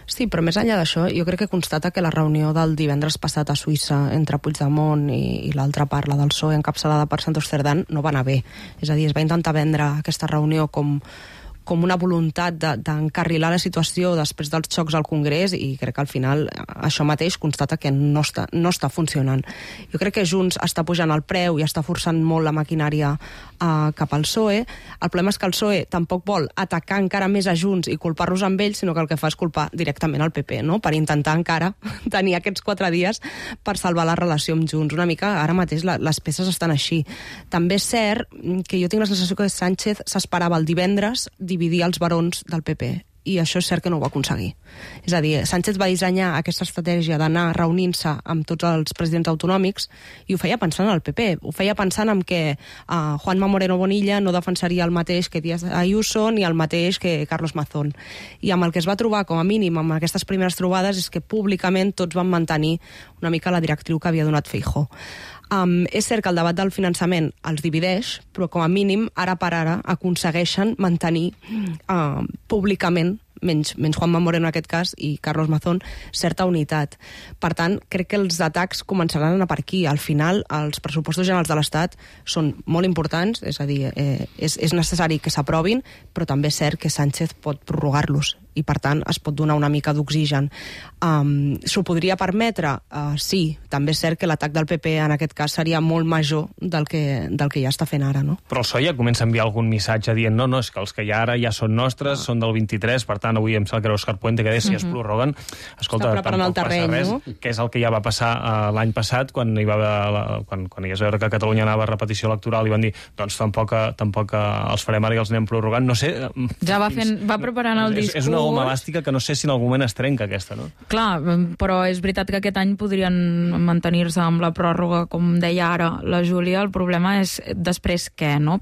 S9: Sí, però més enllà d'això, jo crec que constata que la reunió del divendres passat a Suïssa entre Puigdemont i l'altra part, la del PSOE, encapçalada per Santos Cerdán, no va anar bé. És a dir, es va intentar vendre aquesta reunió com com una voluntat d'encarrilar la situació després dels xocs al Congrés, i crec que al final això mateix constata que no està funcionant. Jo crec que Junts està pujant el preu i està forçant molt la maquinària cap al PSOE. El problema és que el PSOE tampoc vol atacar encara més a Junts i culpar-los amb ells, sinó que el que fa és culpar directament al PP, no? Per intentar encara tenir aquests 4 dies per salvar la relació amb Junts. Una mica, ara mateix, les peces estan així. També és cert que jo tinc la sensació que Sánchez s'esperava el divendres dividir els barons del PP, i això és cert que no ho va aconseguir. És a dir, Sánchez va dissenyar aquesta estratègia d'anar reunint-se amb tots els presidents autonòmics i ho feia pensant en el PP, ho feia pensant en que Juanma Moreno Bonilla no defensaria el mateix que Díaz Ayuso ni el mateix que Carlos Mazón. I amb el que es va trobar, com a mínim, amb aquestes primeres trobades, és que públicament tots van mantenir una mica la directriu que havia donat Feijóo. És cert que el debat del finançament els divideix, però com a mínim, ara per ara, aconsegueixen mantenir públicament, menys Juanma Moreno en aquest cas i Carlos Mazón, certa unitat. Per tant, crec que els atacs començaran a anar per aquí. Al final, els pressupostos generals de l'Estat són molt importants, és a dir, és necessari que s'aprovin, però també és cert que Sánchez pot prorrogar-los i, per tant, es pot donar una mica d'oxigen. S'ho podria permetre? Sí. També és cert que l'atac del PP en aquest cas seria molt major del que ja està fent ara, no?
S1: Però el PSOE ja comença a enviar algun missatge dient no, és que els que hi ha ara ja són nostres, són del 23, per tant, avui em sembla que era Òscar Puente que deia si es prorroguen. Escolta, tampoc passa res, que és el que ja va passar l'any passat, quan hi es veure que Catalunya anava a repetició electoral i van dir, doncs tampoc els farem ara i els anem prorrogant. No sé...
S10: Ja va preparant el discurs.
S1: És una goma elàstica que no sé si en algun moment es trenca, aquesta, no?
S10: Clar, però és veritat que aquest any podrien mantenir-se amb la pròrroga, com deia ara la Júlia. El problema és després què, no?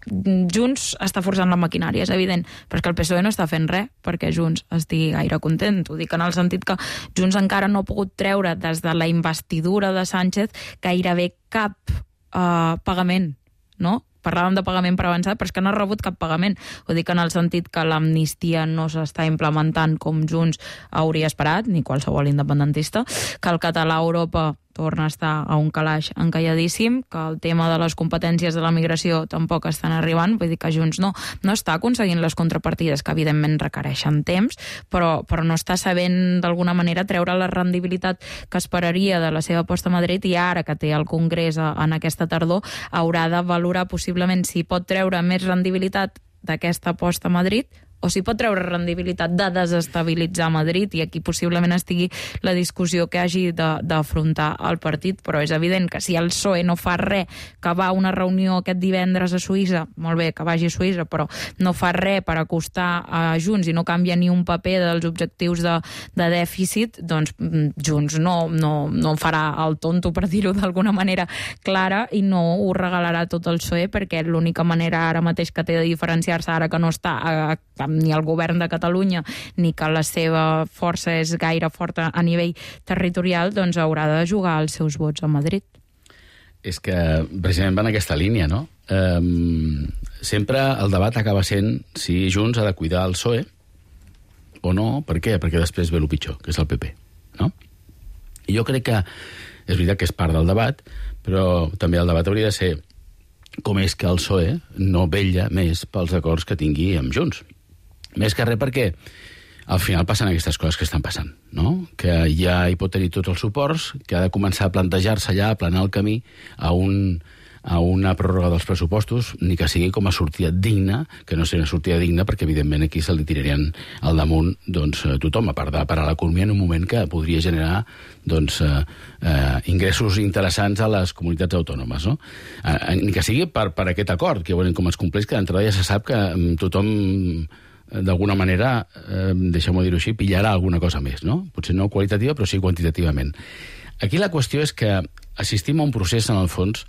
S10: Junts està forçant la maquinària, és evident, però és que el PSOE no està fent res perquè Junts estigui gaire content. Ho dic en el sentit que Junts encara no ha pogut treure des de la investidura de Sánchez gairebé cap pagament, no? Parlàvem de pagament per avançat, però és que no ha rebut cap pagament. Ho dic en el sentit que l'amnistia no s'està implementant com Junts hauria esperat, ni qualsevol independentista, que el català a Europa torna a estar a un calaix encalladíssim, que el tema de les competències de la migració tampoc estan arribant, vull dir que Junts no està aconseguint les contrapartides que evidentment requereixen temps, però no està sabent d'alguna manera treure la rendibilitat que esperaria de la seva aposta a Madrid, i ara que té el Congrés en aquesta tardor haurà de valorar possiblement si pot treure més rendibilitat d'aquesta aposta a Madrid o si pot treure rendibilitat de desestabilitzar Madrid, i aquí possiblement estigui la discussió que hagi d'afrontar el partit, però és evident que si el PSOE no fa res, que va a una reunió aquest divendres a Suïssa, molt bé que vagi a Suïssa, però no fa res per acostar a Junts i no canvia ni un paper dels objectius de dèficit, doncs Junts no farà el tonto, per dir-ho d'alguna manera clara, i no ho regalarà tot el PSOE, perquè l'única manera ara mateix que té de diferenciar-se, ara que no està ni el govern de Catalunya ni que la seva força és gaire forta a nivell territorial, doncs haurà de jugar els seus vots a Madrid.
S7: És que precisament va en aquesta línia, no? Sempre el debat acaba sent si Junts ha de cuidar el PSOE o no. Per què? Perquè després ve el pitjor, que és el PP, no? I jo crec que és veritat que és part del debat, però també el debat hauria de ser com és que el PSOE no vetlla més pels acords que tingui amb Junts. Més que res perquè al final passen aquestes coses que estan passant, no? Que ja hi pot tenir tots els suports, que ha de començar a plantejar-se ja, a aplanar el camí a una pròrroga dels pressupostos, ni que sigui com a sortida digna, que no sigui una sortida digna, perquè evidentment aquí se li tirarien al damunt tothom, a part de parar l'economia en un moment que podria generar ingressos interessants a les comunitats autònomes, no? Ni que sigui per aquest acord, que veurem com es compleix, que d'entrada ja se sap que tothom d'alguna manera, deixem-ho dir-ho així, pillarà alguna cosa més, no? Potser no qualitativa, però sí quantitativament. Aquí la qüestió és que assistim a un procés, en el fons,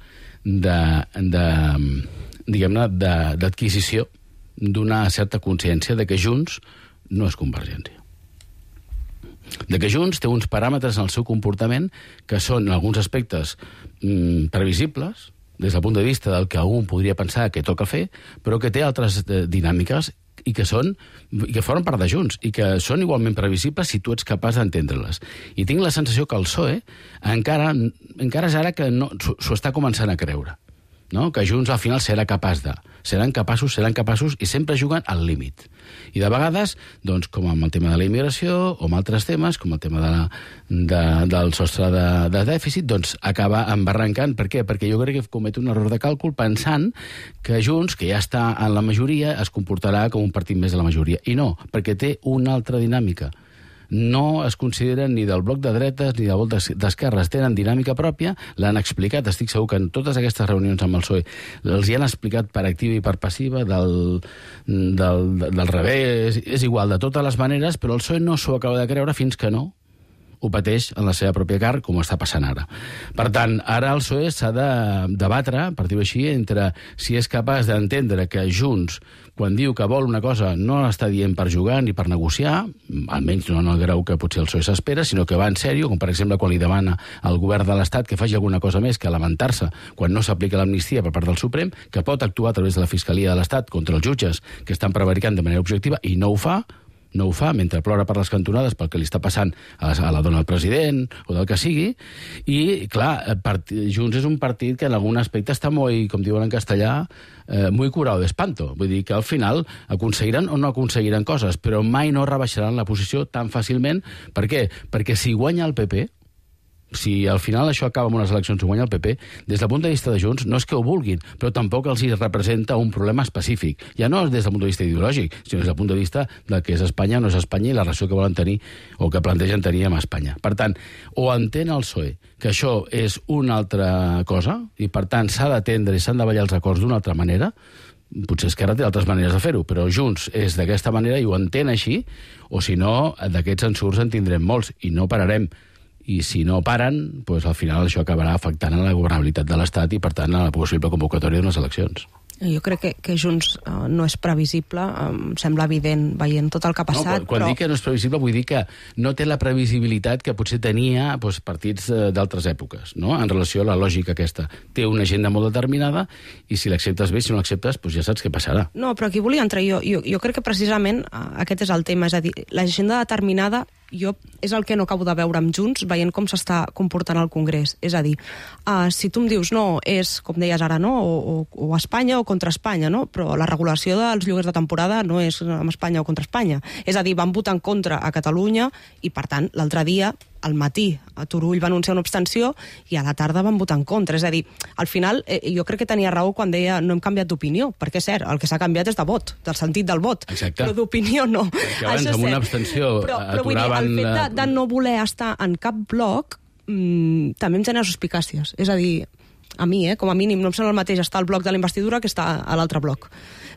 S7: d'adquisició d'una certa consciència de que Junts no és Convergència. De que Junts té uns paràmetres en el seu comportament que són, en alguns aspectes, previsibles, des del punt de vista del que algú podria pensar que toca fer, però que té altres dinàmiques i que formen part de Junts, i que són igualment previsibles si tu ets capaç d'entendre-les. I tinc la sensació que el PSOE encara és ara que s'ho està començant a creure. no? Que Junts al final seran capaços i sempre juguen al límit. I de vegades, doncs, com amb el tema de la immigració o amb altres temes, com el tema del sostre de dèficit, doncs acaba embarrancant. Per què? Perquè jo crec que comet un error de càlcul pensant que Junts, que ja està en la majoria, es comportarà com un partit més de la majoria. I no, perquè té una altra dinàmica. No es consideren ni del bloc de dretes ni del bloc d'esquerres. Tenen dinàmica pròpia, l'han explicat. Estic segur que en totes aquestes reunions amb el PSOE els hi han explicat per activa i per passiva, del revés, és igual, de totes les maneres, però el PSOE no s'ho acaba de creure fins que no ho pateix en la seva pròpia carn, com està passant ara. Per tant, ara el PSOE s'ha de debatre, per dir-ho així, entre si és capaç d'entendre que Junts, quan diu que vol una cosa, no l'està dient per jugar ni per negociar, almenys no en el grau que potser el PSOE s'espera, sinó que va en sèrio, com per exemple quan li demana al govern de l'Estat que faci alguna cosa més que lamentar-se quan no s'aplica l'amnistia per part del Suprem, que pot actuar a través de la Fiscalia de l'Estat contra els jutges que estan prevaricant de manera objectiva, i no ho fa, mentre plora per les cantonades pel que li està passant a la dona del president o del que sigui, i clar, Junts és un partit que en algun aspecte està molt, com diuen en castellà, muy curado de espanto. Vull dir que al final aconseguiran o no aconseguiran coses, però mai no rebaixaran la posició tan fàcilment. Per què? Perquè si guanya el PP, si al final això acaba amb unes eleccions i guanya el PP, des del punt de vista de Junts no és que ho vulguin, però tampoc els hi representa un problema específic. Ja no és des del punt de vista ideològic, sinó des del punt de vista del que és Espanya o no és Espanya i la relació que volen tenir o que plantegen tenir amb Espanya. Per tant, o entén el PSOE que això és una altra cosa i per tant s'ha d'atendre i s'han de ballar els acords d'una altra manera, potser Esquerra té altres maneres de fer-ho, però Junts és d'aquesta manera i ho entén així, o si no, d'aquests ensurts en tindrem molts i no pararem. I si no paren, doncs al final això acabarà afectant a la governabilitat de l'Estat i, per tant, a la possible convocatòria d'unes eleccions.
S9: Jo crec que Junts no és previsible, em sembla evident veient tot el que ha passat.
S7: No, quan dic que no és previsible vull dir que no té la previsibilitat que potser tenia partits d'altres èpoques, no? En relació a la lògica aquesta. Té una agenda molt determinada i si l'acceptes bé, si no l'acceptes, ja saps què passarà.
S9: No, però aquí volia entrar jo. Jo crec que precisament aquest és el tema, és a dir, l'agenda determinada és el que no acabo de veure amb Junts, veient com s'està comportant el Congrés. És a dir, si tu em dius, no, és, com deies ara, no, o Espanya o contra Espanya, no? Però la regulació dels lloguers de temporada no és amb Espanya o contra Espanya. És a dir, van votar en contra a Catalunya i, per tant, l'altre dia, al matí, a Turull va anunciar una abstenció i a la tarda van votar en contra. És a dir, al final, jo crec que tenia raó quan deia no hem canviat d'opinió, perquè és cert, el que s'ha canviat és de vot, del sentit del vot.
S7: Exacte.
S9: Però d'opinió no.
S7: Perquè abans amb una abstenció
S9: però vull dir, el fet de no voler estar en cap bloc també em genera suspicàcies. És a dir, a mi, com a mínim, no em sembla el mateix estar al bloc de la investidura que estar a l'altre bloc.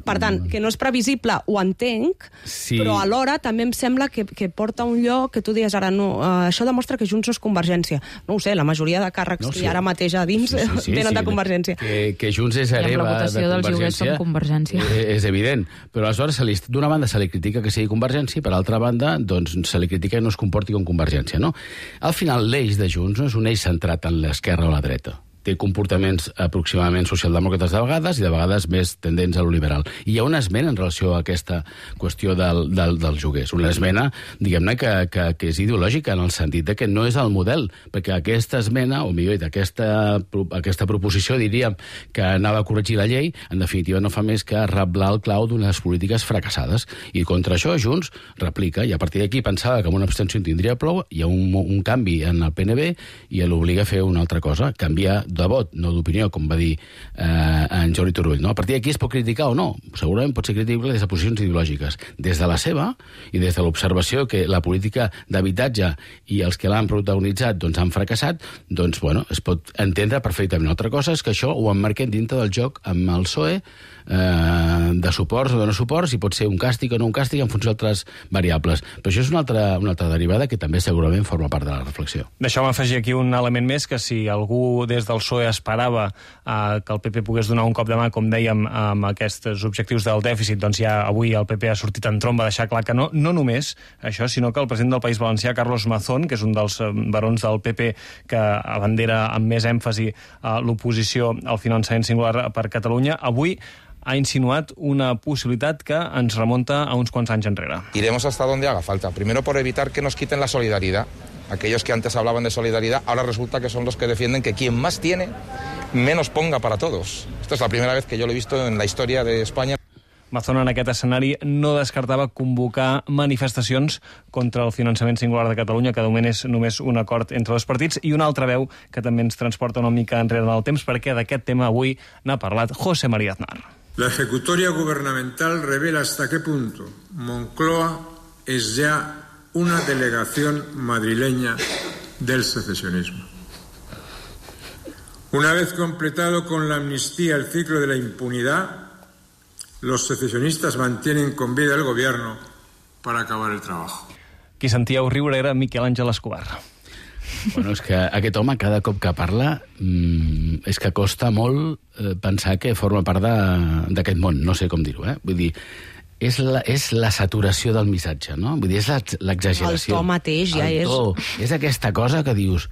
S9: Per tant, que no és previsible, ho entenc, sí. Però alhora també em sembla que porta un lloc que tu dius ara, no, això demostra que Junts no és Convergència. No ho sé, la majoria de càrrecs que hi ha ara mateix a dins venen de Convergència.
S7: Que Junts és hereva de Convergència és evident, però aleshores d'una banda se li critica que sigui Convergència i per altra banda doncs, se li critica que no es comporti com Convergència. No? Al final, l'eix de Junts no és un eix centrat en l'esquerra o la dreta. Té comportaments aproximadament socialdemòcrates de vegades i de vegades més tendents a lo liberal. I hi ha una esmena en relació a aquesta qüestió dels lloguers. Una esmena, diguem-ne, que és ideològica en el sentit de que no és el model, perquè aquesta esmena, o millor dit, aquesta proposició, diríem, que anava a corregir la llei, en definitiva no fa més que reblar el clau d'unes polítiques fracassades. I contra això Junts replica, i a partir d'aquí pensava que amb una abstenció en tindria prou, hi ha un canvi en el PNB i l'obliga a fer una altra cosa, canviar de vot, no d'opinió, com va dir en Jordi Turull. No? A partir d'aquí es pot criticar o no. Segurament pot ser criticable des de posicions ideològiques. Des de la seva i des de l'observació que la política d'habitatge i els que l'han protagonitzat doncs, han fracassat, doncs, bueno, es pot entendre perfectament. Una altra cosa és que això ho emmarquem dintre del joc amb el PSOE de suports o de no suports, si pot ser un càstig o no un càstig en funció d'altres variables. Però això és una altra derivada que també segurament forma part de la reflexió.
S1: Deixeu-me afegir aquí un element més, que si algú des del PSOE esperava que el PP pogués donar un cop de mà, com dèiem, amb aquests objectius del dèficit, doncs ja avui el PP ha sortit en tromba a deixar clar que no només això, sinó que el president del País Valencià, Carlos Mazón, que és un dels barons del PP que abandera amb més èmfasi l'oposició al finançament singular per Catalunya, avui ha insinuat una posibilitat que ens remonta a uns quants anys enrere.
S14: Iremos hasta donde haga falta. Primero por evitar que nos quiten la solidaridad. Aquellos que antes hablaban de solidaridad, ahora resulta que son los que defienden que quien más tiene menos ponga para todos. Esta es la primera vez que yo lo he visto en la historia de España.
S1: Mazón en aquest escenari no descartava convocar manifestacions contra el finançament singular de Catalunya, que de moment és només un acord entre dos partits, i una altra veu que també ens transporta una mica enrere en el temps, perquè d'aquest tema avui n'ha parlat José María Aznar.
S15: La ejecutoria gubernamental revela hasta qué punto Moncloa es ya una delegación madrileña del secesionismo. Una vez completado con la amnistía el ciclo de la impunidad, los secesionistas mantienen con vida el gobierno para acabar el trabajo.
S1: Qui sentíeu riure era Miquel Àngel Escobar.
S7: Bueno, és que aquest home, cada cop que parla, és que costa molt pensar que forma part d'aquest món, no sé com dir-ho, Vull dir, és la saturació del missatge, no? Vull dir, és l'exageració.
S9: El to mateix ja és...
S7: És aquesta cosa que dius,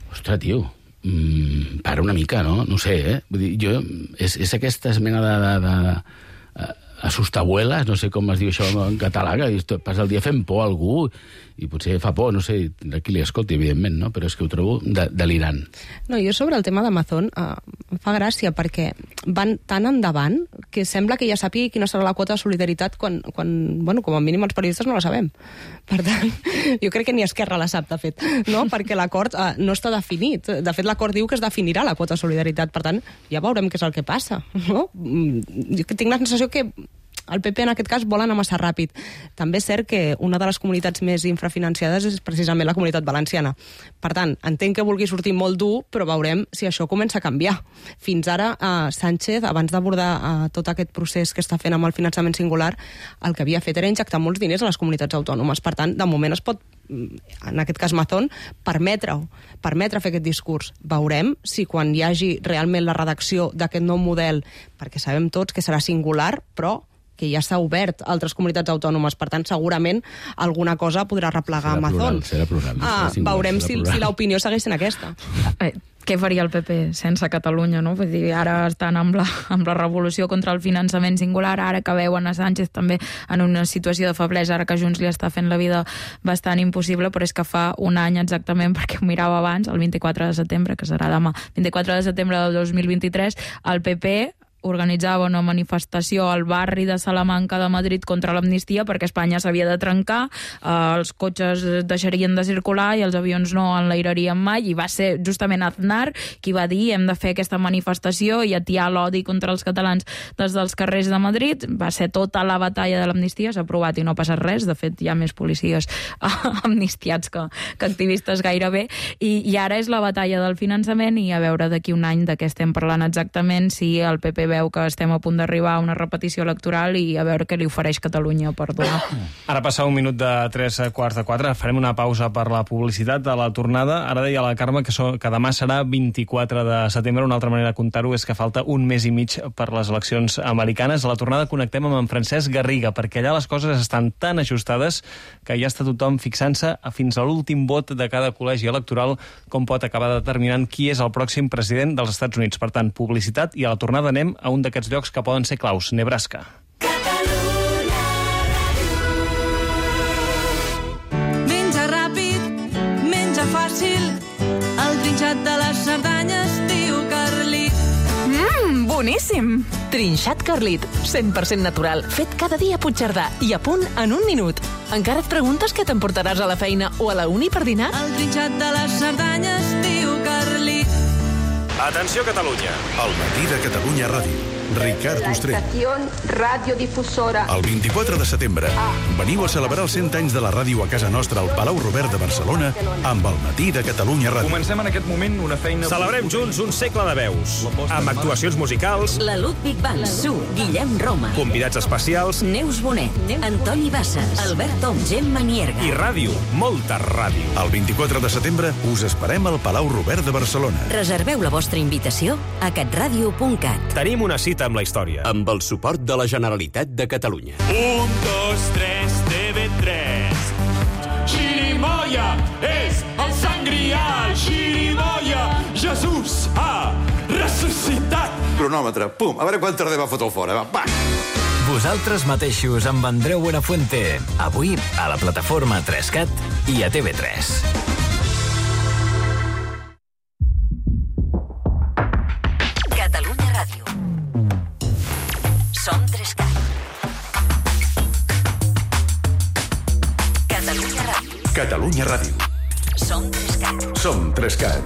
S7: ostres, tio, para una mica, no? No sé, Vull dir, és aquesta mena de assustabuelas, no sé com es diu això en català, que passa el dia fent por a algú, i potser fa por, no sé, de qui li escolti, evidentment, no? Però és que ho trobo delirant.
S9: No, jo sobre el tema d'Amazon em fa gràcia, perquè van tan endavant que sembla que ja sàpiga quina serà la quota de solidaritat quan bueno, com a mínim els periodistes no la sabem. Per tant, jo crec que ni Esquerra la sap, de fet, no? Perquè l'acord no està definit. De fet, l'acord diu que es definirà la quota de solidaritat. Per tant, ja veurem què és el que passa, no? Jo tinc la sensació que el PP en aquest cas vol anar massa ràpid. També és cert que una de les comunitats més infrafinanciades és precisament la Comunitat Valenciana. Per tant, entenc que vulgui sortir molt dur, però veurem si això comença a canviar. Fins ara, Sánchez, abans d'abordar tot aquest procés que està fent amb el finançament singular, el que havia fet era injectar molts diners a les comunitats autònomes. Per tant, de moment es pot, en aquest cas Mazón, permetre fer aquest discurs. Veurem si quan hi hagi realment la redacció d'aquest nou model, perquè sabem tots que serà singular, però que ja s'ha obert a altres comunitats autònomes. Per tant, segurament alguna cosa podrà replegar Amazon.
S7: Serà plural.
S9: Veurem si l'opinió segueix sent aquesta.
S10: Què faria el PP sense Catalunya, no? Vull dir, ara estan amb la revolució contra el finançament singular, ara que veuen a Sánchez també en una situació de feblesa, ara que Junts li està fent la vida bastant impossible, però és que fa un any exactament, perquè ho mirava abans, el 24 de setembre, que serà demà, 24 de setembre del 2023, el PP organitzava una manifestació al barri de Salamanca de Madrid contra l'amnistia perquè Espanya s'havia de trencar, els cotxes deixarien de circular i els avions no enlairarien mai, i va ser justament Aznar qui va dir hem de fer aquesta manifestació i atiar l'odi contra els catalans des dels carrers de Madrid. Va ser tota la batalla de l'amnistia, s'ha aprovat i no ha passat res. De fet, hi ha més policies amnistiats que activistes gairebé, i ara és la batalla del finançament, i a veure d'aquí un any de què estem parlant exactament, si el PP veu que estem a punt d'arribar a una repetició electoral, i a veure què li ofereix Catalunya per donar.
S1: Ara passa un minut de 3:15. Farem una pausa per la publicitat a la tornada. Ara deia la Carme que demà serà 24 de setembre. Una altra manera de comptar-ho és que falta un mes i mig per les eleccions americanes. A la tornada connectem amb en Francesc Garriga, perquè allà les coses estan tan ajustades que ja està tothom fixant-se fins a l'últim vot de cada col·legi electoral com pot acabar determinant qui és el pròxim president dels Estats Units. Per tant, publicitat, i a la tornada anem a un d'aquests llocs que poden ser claus, Nebraska.
S16: Menja ràpid, menja fàcil, el trinxat de les Cerdanyes diu Carlit.
S6: Boníssim! Trinxat Carlit, 100% natural, fet cada dia a Puigcerdà i a punt en un minut. Encara et preguntes què t'emportaràs a la feina o a la uni per dinar?
S16: El trinxat de les Cerdanyes diu Carlit.
S2: Atenció, Catalunya. El matí de Catalunya Ràdio. Ricard Ostrell.
S17: Radiodifusora.
S2: El 24 de setembre veniu a celebrar els 100 anys de la ràdio a casa nostra al Palau Robert de Barcelona amb el matí de Catalunya Ràdio.
S18: Comencem en aquest moment una feina... Celebrem junts un segle de veus, amb actuacions musicals...
S6: La Ludwig Band, Su, Guillem Roma.
S18: Convidats especials...
S6: Neus Bonet, Antoni Bassas, Albert Tom, Gemma Nierga.
S18: I ràdio, molta ràdio.
S2: El 24 de setembre us esperem al Palau Robert de Barcelona.
S6: Reserveu la vostra invitació a catradio.cat.
S18: Tenim una cita amb la història.
S19: Amb el suport de la Generalitat de Catalunya.
S20: 1, 2, 3, TV3. Xirimoia és el sant grial. Xirimoia, Jesús ha ressuscitat.
S19: Cronòmetre, pum, a veure quan tardem a fotre-ho fora. Va!
S21: Vosaltres mateixos amb Andreu Buenafuente. Avui a la plataforma 3CAT i a TV3.
S2: Catalunya Ràdio.
S21: Som 3CAT.
S2: Som 3CAT.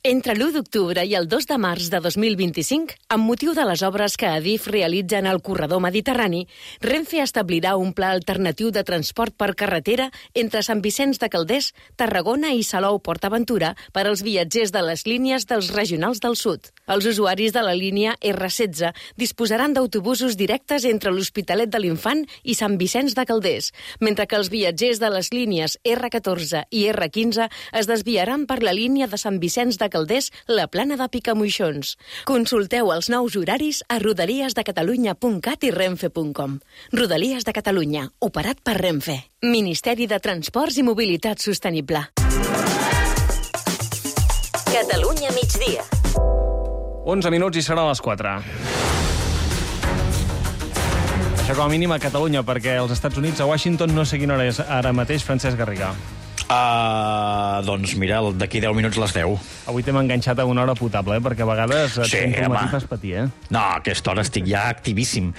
S5: Entre l'1 d'octubre i el 2 de març de 2025, amb motiu de les obres que Adif realitza en el corredor mediterrani, Renfe establirà un pla alternatiu de transport per carretera entre Sant Vicenç de Calders, Tarragona i Salou-Port-Aventura per als viatgers de les línies dels regionals del sud. Els usuaris de la línia R16 disposaran d'autobusos directes entre l'Hospitalet de l'Infant i Sant Vicenç de Calders, mentre que els viatgers de les línies R14 i R15 es desviaran per la línia de Sant Vicenç de Calders, la Plana de Picamoixons. Consulteu els nous horaris a rodaliesdecatalunya.cat i renfe.com. Rodalies de Catalunya, operat per Renfe. Ministeri de Transports i Mobilitat Sostenible.
S3: Catalunya migdia.
S1: 11 minuts i serà a les 4. Això com a mínim a Catalunya, perquè als Estats Units, a Washington, no sé quina hora és ara mateix, Francesc Garrigà.
S22: Doncs mira, d'aquí 10 minuts les 10.
S1: Avui t'hem enganxat a una hora potable, perquè a vegades et fas patir,
S22: No, a aquesta hora estic ja activíssim.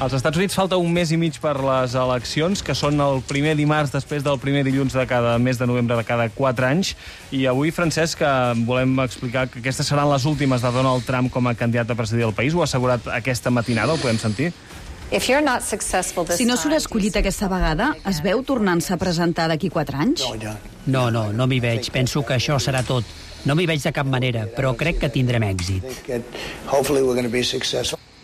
S1: Als Estats Units falta un mes i mig per les eleccions, que són el primer dimarts després del primer dilluns de cada mes de novembre de cada 4 anys. I avui, Francesc, volem explicar que aquestes seran les últimes de Donald Trump com a candidat a presidir el país. Ho ha assegurat aquesta matinada, ho podem sentir?
S23: Si no surt escollit aquesta vegada, es veu tornant-se a presentar d'aquí 4 anys?
S24: No m'hi veig. Penso que això serà tot. No m'hi veig de cap manera, però crec que tindrem èxit.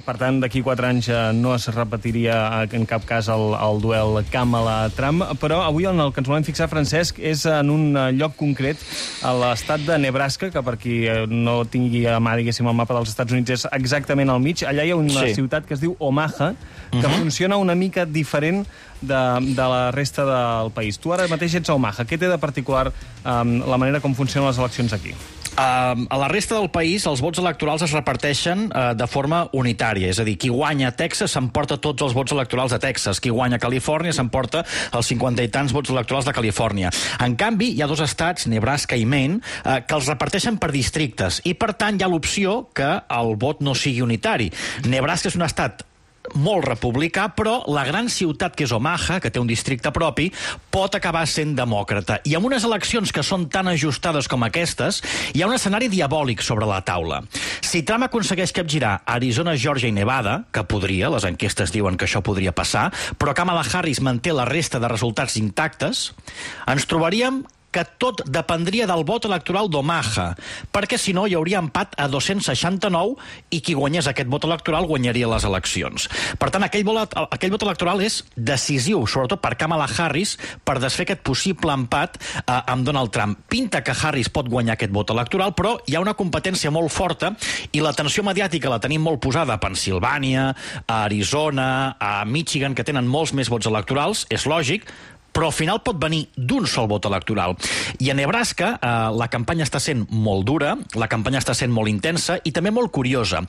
S1: Per tant, d'aquí 4 anys no es repetiria en cap cas el duel Kamala-Trump, però avui en el que ens volem fixar, Francesc, és en un lloc concret, a l'estat de Nebraska, que per qui no tingui a mà, diguéssim, el mapa dels Estats Units, és exactament al mig. Allà hi ha una ciutat que es diu Omaha, que funciona una mica diferent de la resta del país. Tu ara mateix ets a Omaha. Què té de particular la manera com funcionen les eleccions aquí?
S22: A la resta del país, els vots electorals es reparteixen de forma unitària. És a dir, qui guanya a Texas s'emporta tots els vots electorals de Texas. Qui guanya a Califòrnia s'emporta els 50 i tants vots electorals de Califòrnia. En canvi, hi ha 2 estats, Nebraska i Maine, que els reparteixen per districtes. I, per tant, hi ha l'opció que el vot no sigui unitari. Nebraska és un estat molt republicà, però la gran ciutat que és Omaha, que té un districte propi, pot acabar sent demòcrata. I amb unes eleccions que són tan ajustades com aquestes, hi ha un escenari diabòlic sobre la taula. Si Trump aconsegueix capgirar Arizona, Georgia i Nevada, que podria, les enquestes diuen que això podria passar, però Kamala Harris manté la resta de resultats intactes, ens trobaríem que tot dependria del vot electoral d'Omaha, perquè si no hi hauria empat a 269 i qui guanyés aquest vot electoral guanyaria les eleccions. Per tant, aquell vot electoral és decisiu, sobretot per Kamala Harris, per desfer aquest possible empat amb Donald Trump. Pinta que Harris pot guanyar aquest vot electoral, però hi ha una competència molt forta i l'atenció mediàtica la tenim molt posada a Pennsilvània, a Arizona, a Michigan, que tenen molts més vots electorals, és lògic, però al final pot venir d'un sol vot electoral. I a Nebraska la campanya està sent molt dura, la campanya està sent molt intensa i també molt curiosa.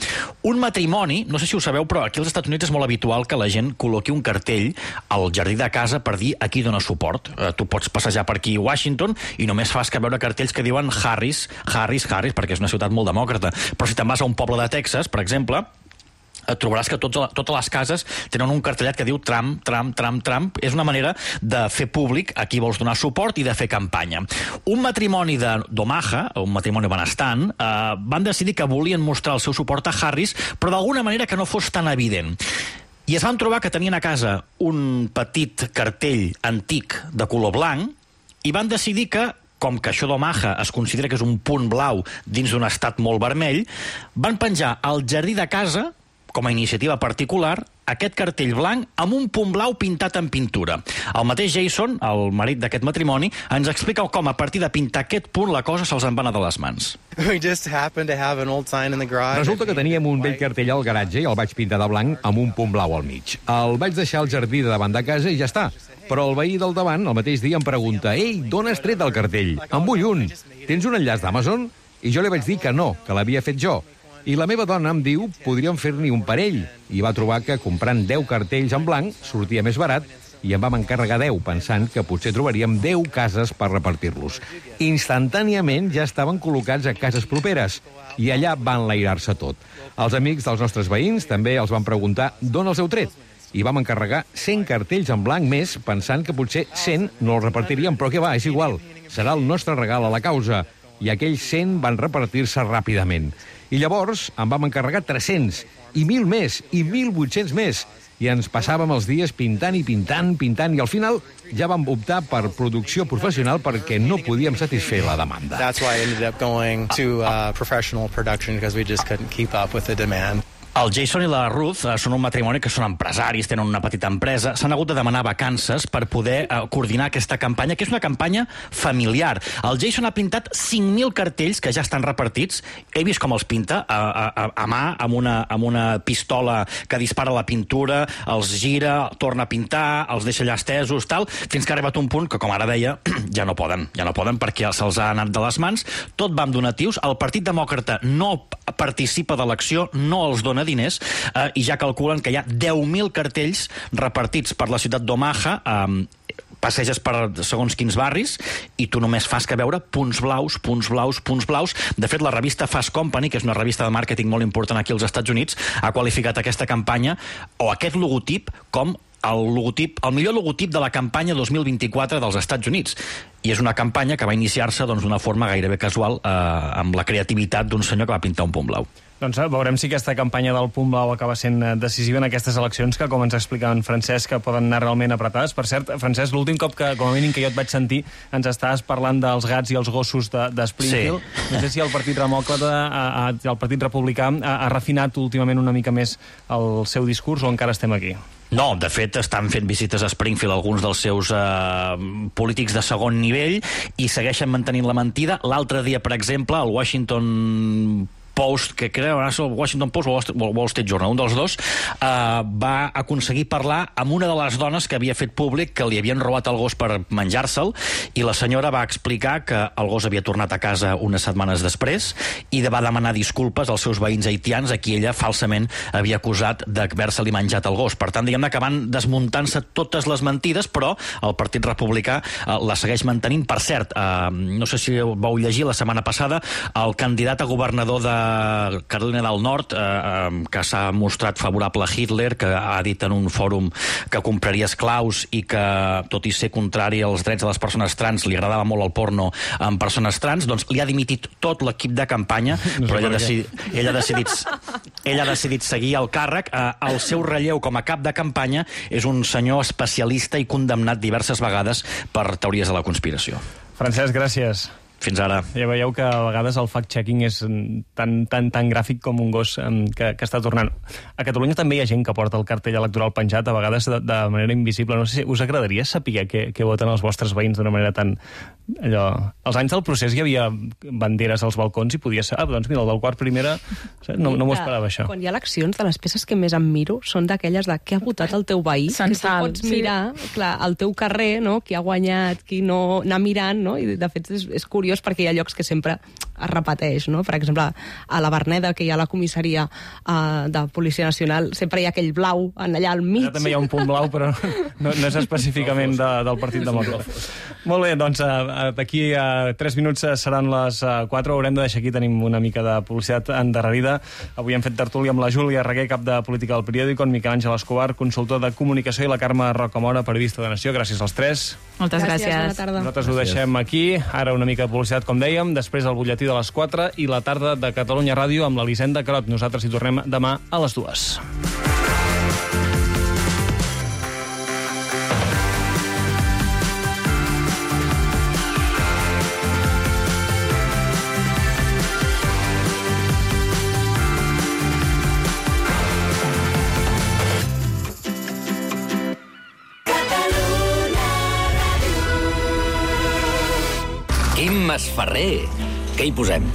S22: Un matrimoni, no sé si ho sabeu, però aquí als Estats Units és molt habitual que la gent col·loqui un cartell al jardí de casa per dir a qui dona suport. Tu pots passejar per aquí a Washington i només fas que veure cartells que diuen Harris, Harris, Harris, perquè és una ciutat molt demòcrata. Però si te'n vas a un poble de Texas, per exemple, trobaràs que totes les cases tenen un cartellet que diu Trump, Trump, Trump, Trump. És una manera de fer públic a qui vols donar suport i de fer campanya. Un matrimoni d'Omaha, un matrimoni benestant, van decidir que volien mostrar el seu suport a Harris, però d'alguna manera que no fos tan evident. I es van trobar que tenien a casa un petit cartell antic de color blanc i van decidir que, com que això d'Omaha es considera que és un punt blau dins d'un estat molt vermell, van penjar al jardí de casa, com a iniciativa particular, aquest cartell blanc amb un punt blau pintat en pintura. El mateix Jason, el marit d'aquest matrimoni, ens explica com a partir de pintar aquest punt la cosa se'ls en va anar de les mans.
S25: Resulta que teníem un vell cartell al garatge i el vaig pintar de blanc amb un punt blau al mig. El vaig deixar al jardí de davant de casa i ja està. Però el veí del davant, el mateix dia, em pregunta: «Ei, d'on has tret el cartell? En vull un. Tens un enllaç d'Amazon?» I jo li vaig dir que no, que l'havia fet jo. I la meva dona em diu podríem fer-n'hi un parell. I va trobar que comprant 10 cartells en blanc sortia més barat i em vam encarregar 10, pensant que potser trobaríem 10 cases per repartir-los. Instantàniament ja estaven col·locats a cases properes i allà va enlairar-se tot. Els amics dels nostres veïns també els van preguntar d'on els heu tret. i vam encarregar 100 cartells en blanc més, pensant que potser 100 no els repartiríem, però què va, és igual. Serà el nostre regal a la causa. I aquells 100 van repartir-se ràpidament. I llavors en vam encarregar 300, i 1.000 més, i 1.800 més. I ens passàvem els dies pintant i pintant, i al final ja vam optar per producció professional perquè no podíem satisfer la demanda.
S4: That's why I ended up going to professional production, because we just couldn't keep up with the demand.
S22: El Jason i la Ruth són un matrimoni que són empresaris, tenen una petita empresa, s'han hagut de demanar vacances per poder coordinar aquesta campanya, que és una campanya familiar. El Jason ha pintat 5.000 cartells que ja estan repartits. He vist com els pinta a mà, amb una pistola que dispara la pintura, els gira, torna a pintar, els deixa allà estesos, tal, fins que ha arribat un punt que, com ara deia, ja no poden perquè se'ls ha anat de les mans. Tot va amb donatius. El Partit Demòcrata no participa de l'acció, no els dona diners, i ja calculen que hi ha 10.000 cartells repartits per la ciutat d'Omaha. Passeges per segons quins barris i tu només fas que veure punts blaus, punts blaus, punts blaus. De fet, la revista Fast Company, que és una revista de màrqueting molt important aquí als Estats Units, ha qualificat aquesta campanya o aquest logotip com el millor logotip de la campanya 2024 dels Estats Units. I és una campanya que va iniciar-se d'una forma gairebé casual, amb la creativitat d'un senyor que va pintar un punt blau.
S1: Doncs veurem si aquesta campanya del punt blau acaba sent decisiva en aquestes eleccions que, com ens explicava en Francesc, que poden anar realment apretades. Per cert, Francesc, l'últim cop que, com a mínim que jo et vaig sentir, ens estaves parlant dels gats i els gossos de Springfield. Sí. No sé si el Partit Demòcrata, el Partit Republicà, ha refinat últimament una mica més el seu discurs o encara estem aquí?
S22: No, de fet, estan fent visites a Springfield alguns dels seus polítics de segon nivell i segueixen mantenint la mentida. L'altre dia, per exemple, el Washington Post, que creu el Washington Post o el Wall Street Journal, un dels dos, va aconseguir parlar amb una de les dones que havia fet públic que li havien robat el gos per menjar-se'l, i la senyora va explicar que el gos havia tornat a casa unes setmanes després i va demanar disculpes als seus veïns haitians a qui ella falsament havia acusat d'haver-se-li menjat el gos. Per tant, diguem-ne que van desmuntant-se totes les mentides, però el Partit Republicà la segueix mantenint. Per cert, no sé si vau llegir la setmana passada, el candidat a governador de Carolina del Nord, que s'ha mostrat favorable a Hitler, que ha dit en un fòrum que compraria esclaus i que, tot i ser contrari als drets de les persones trans, li agradava molt el porno amb persones trans, doncs li ha dimitit tot l'equip de campanya, però ella ha decidit seguir el càrrec. El seu relleu com a cap de campanya és un senyor especialista i condemnat diverses vegades per teories de la conspiració.
S1: Francesc, gràcies.
S22: Fins ara.
S1: Ja veieu que a vegades el fact-checking és tan gràfic com un gos que està tornant. A Catalunya també hi ha gent que porta el cartell electoral penjat, a vegades de manera invisible. No sé si us agradaria saber què voten els vostres veïns d'una manera tan... Als anys del procés hi havia banderes als balcons i podia ser... doncs mira, el del quart primera... No m'ho esperava, això.
S9: Quan hi ha eleccions, de les peces que més em miro són d'aquelles de què ha votat el teu veí, que tu pots mirar, clar, al teu carrer, no? Qui ha guanyat, qui no, anar mirant, no? I de fet és curiós perquè hi ha llocs que sempre es repeteix, no? Per exemple, a la Verneda, que hi ha la comissaria de Policia Nacional, sempre hi ha aquell blau allà al mig.
S1: Ja també hi ha un punt blau, però no és específicament del Partit Demòcrata. Molt bé, doncs d'aquí a 3 minuts seran les 4, haurem de deixar aquí, tenim una mica de publicitat endarrerida. Avui hem fet tertúlia amb la Júlia Reguer, cap de Política del Periòdico, en Miquel Àngel Escobar, consultor de comunicació, i la Carme Rocamora, periodista de Nació. Gràcies als 3.
S10: Moltes gràcies.
S9: Bona tarda.
S1: Nosaltres ho deixem aquí. Ara una mica de publicitat, com dèiem, després el butlletí de les 4 i la tarda de Catalunya Ràdio amb l'Elisenda Carot. Nosaltres hi tornem demà a les 2.
S8: Quim Masferrer, què hi posem?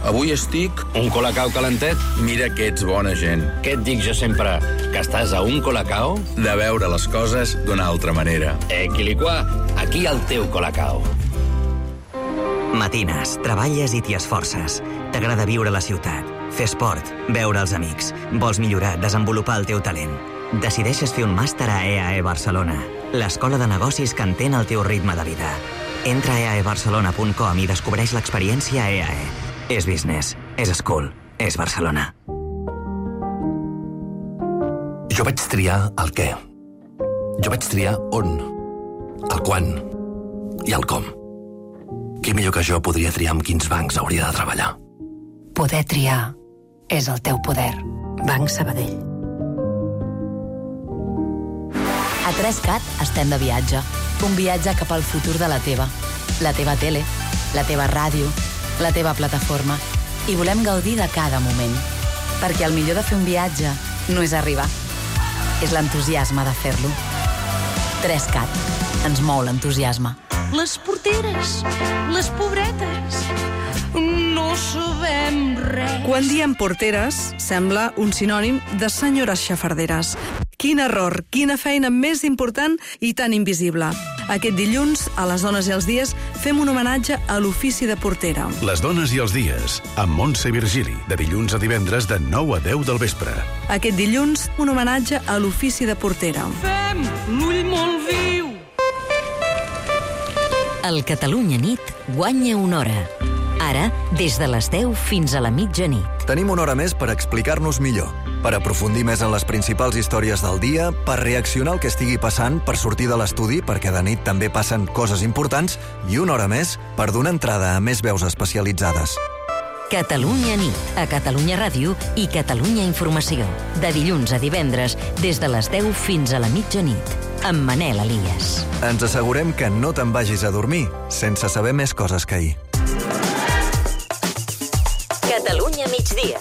S11: Avui estic...
S8: Un colacao calentet?
S11: Mira que ets bona gent.
S8: Què et dic jo sempre? Que estàs a un colacao?
S11: De veure les coses d'una altra manera.
S8: Quiliquà, aquí el teu colacao.
S12: Matines, treballes i t'hi esforces. T'agrada viure a la ciutat, fer esport, veure els amics. Vols millorar, desenvolupar el teu talent. Decideixes fer un màster a EAE Barcelona, l'escola de negocis que entén el teu ritme de vida. Entra a eaebarcelona.com i descobreix l'experiència EAE. És business, és school, és Barcelona.
S7: Jo vaig triar el què. Jo vaig triar on, el quan i el com. Qui millor que jo podria triar amb quins bancs hauria de treballar?
S13: Poder triar és el teu poder. Banc Sabadell.
S14: A 3CAT estem de viatge. Un viatge cap al futur de la teva tele, la teva ràdio, la teva plataforma. I volem gaudir de cada moment. Perquè el millor de fer un viatge no és arribar. És l'entusiasme de fer-lo. 3CAT. Ens mou l'entusiasme.
S15: Les porteres, les pobretes, no sabem res.
S16: Quan diem porteres, sembla un sinònim de senyores xafarderes. Quin error, quina feina més important i tan invisible. Aquest dilluns, a Les dones i els dies, fem un homenatge a l'ofici de portera.
S2: Les dones i els dies, amb Montse Virgili, de dilluns a divendres de 9 a 10 del vespre.
S16: Aquest dilluns, un homenatge a l'ofici de portera.
S15: Fem l'ull molt viu.
S5: El Catalunya Nit guanya una hora. Ara, des de les 10 fins a la mitjanit.
S26: Tenim una hora més per explicar-nos millor, per aprofundir més en les principals històries del dia, per reaccionar al que estigui passant, per sortir de l'estudi, perquè de nit també passen coses importants, i una hora més per donar entrada a més veus especialitzades.
S5: Catalunya Nit, a Catalunya Ràdio i Catalunya Informació. De dilluns a divendres, des de les 10 fins a la mitjanit. Amb Manel Elias.
S26: Ens assegurem que no te'n vagis a dormir sense saber més coses que ahir.
S5: Catalunya migdia.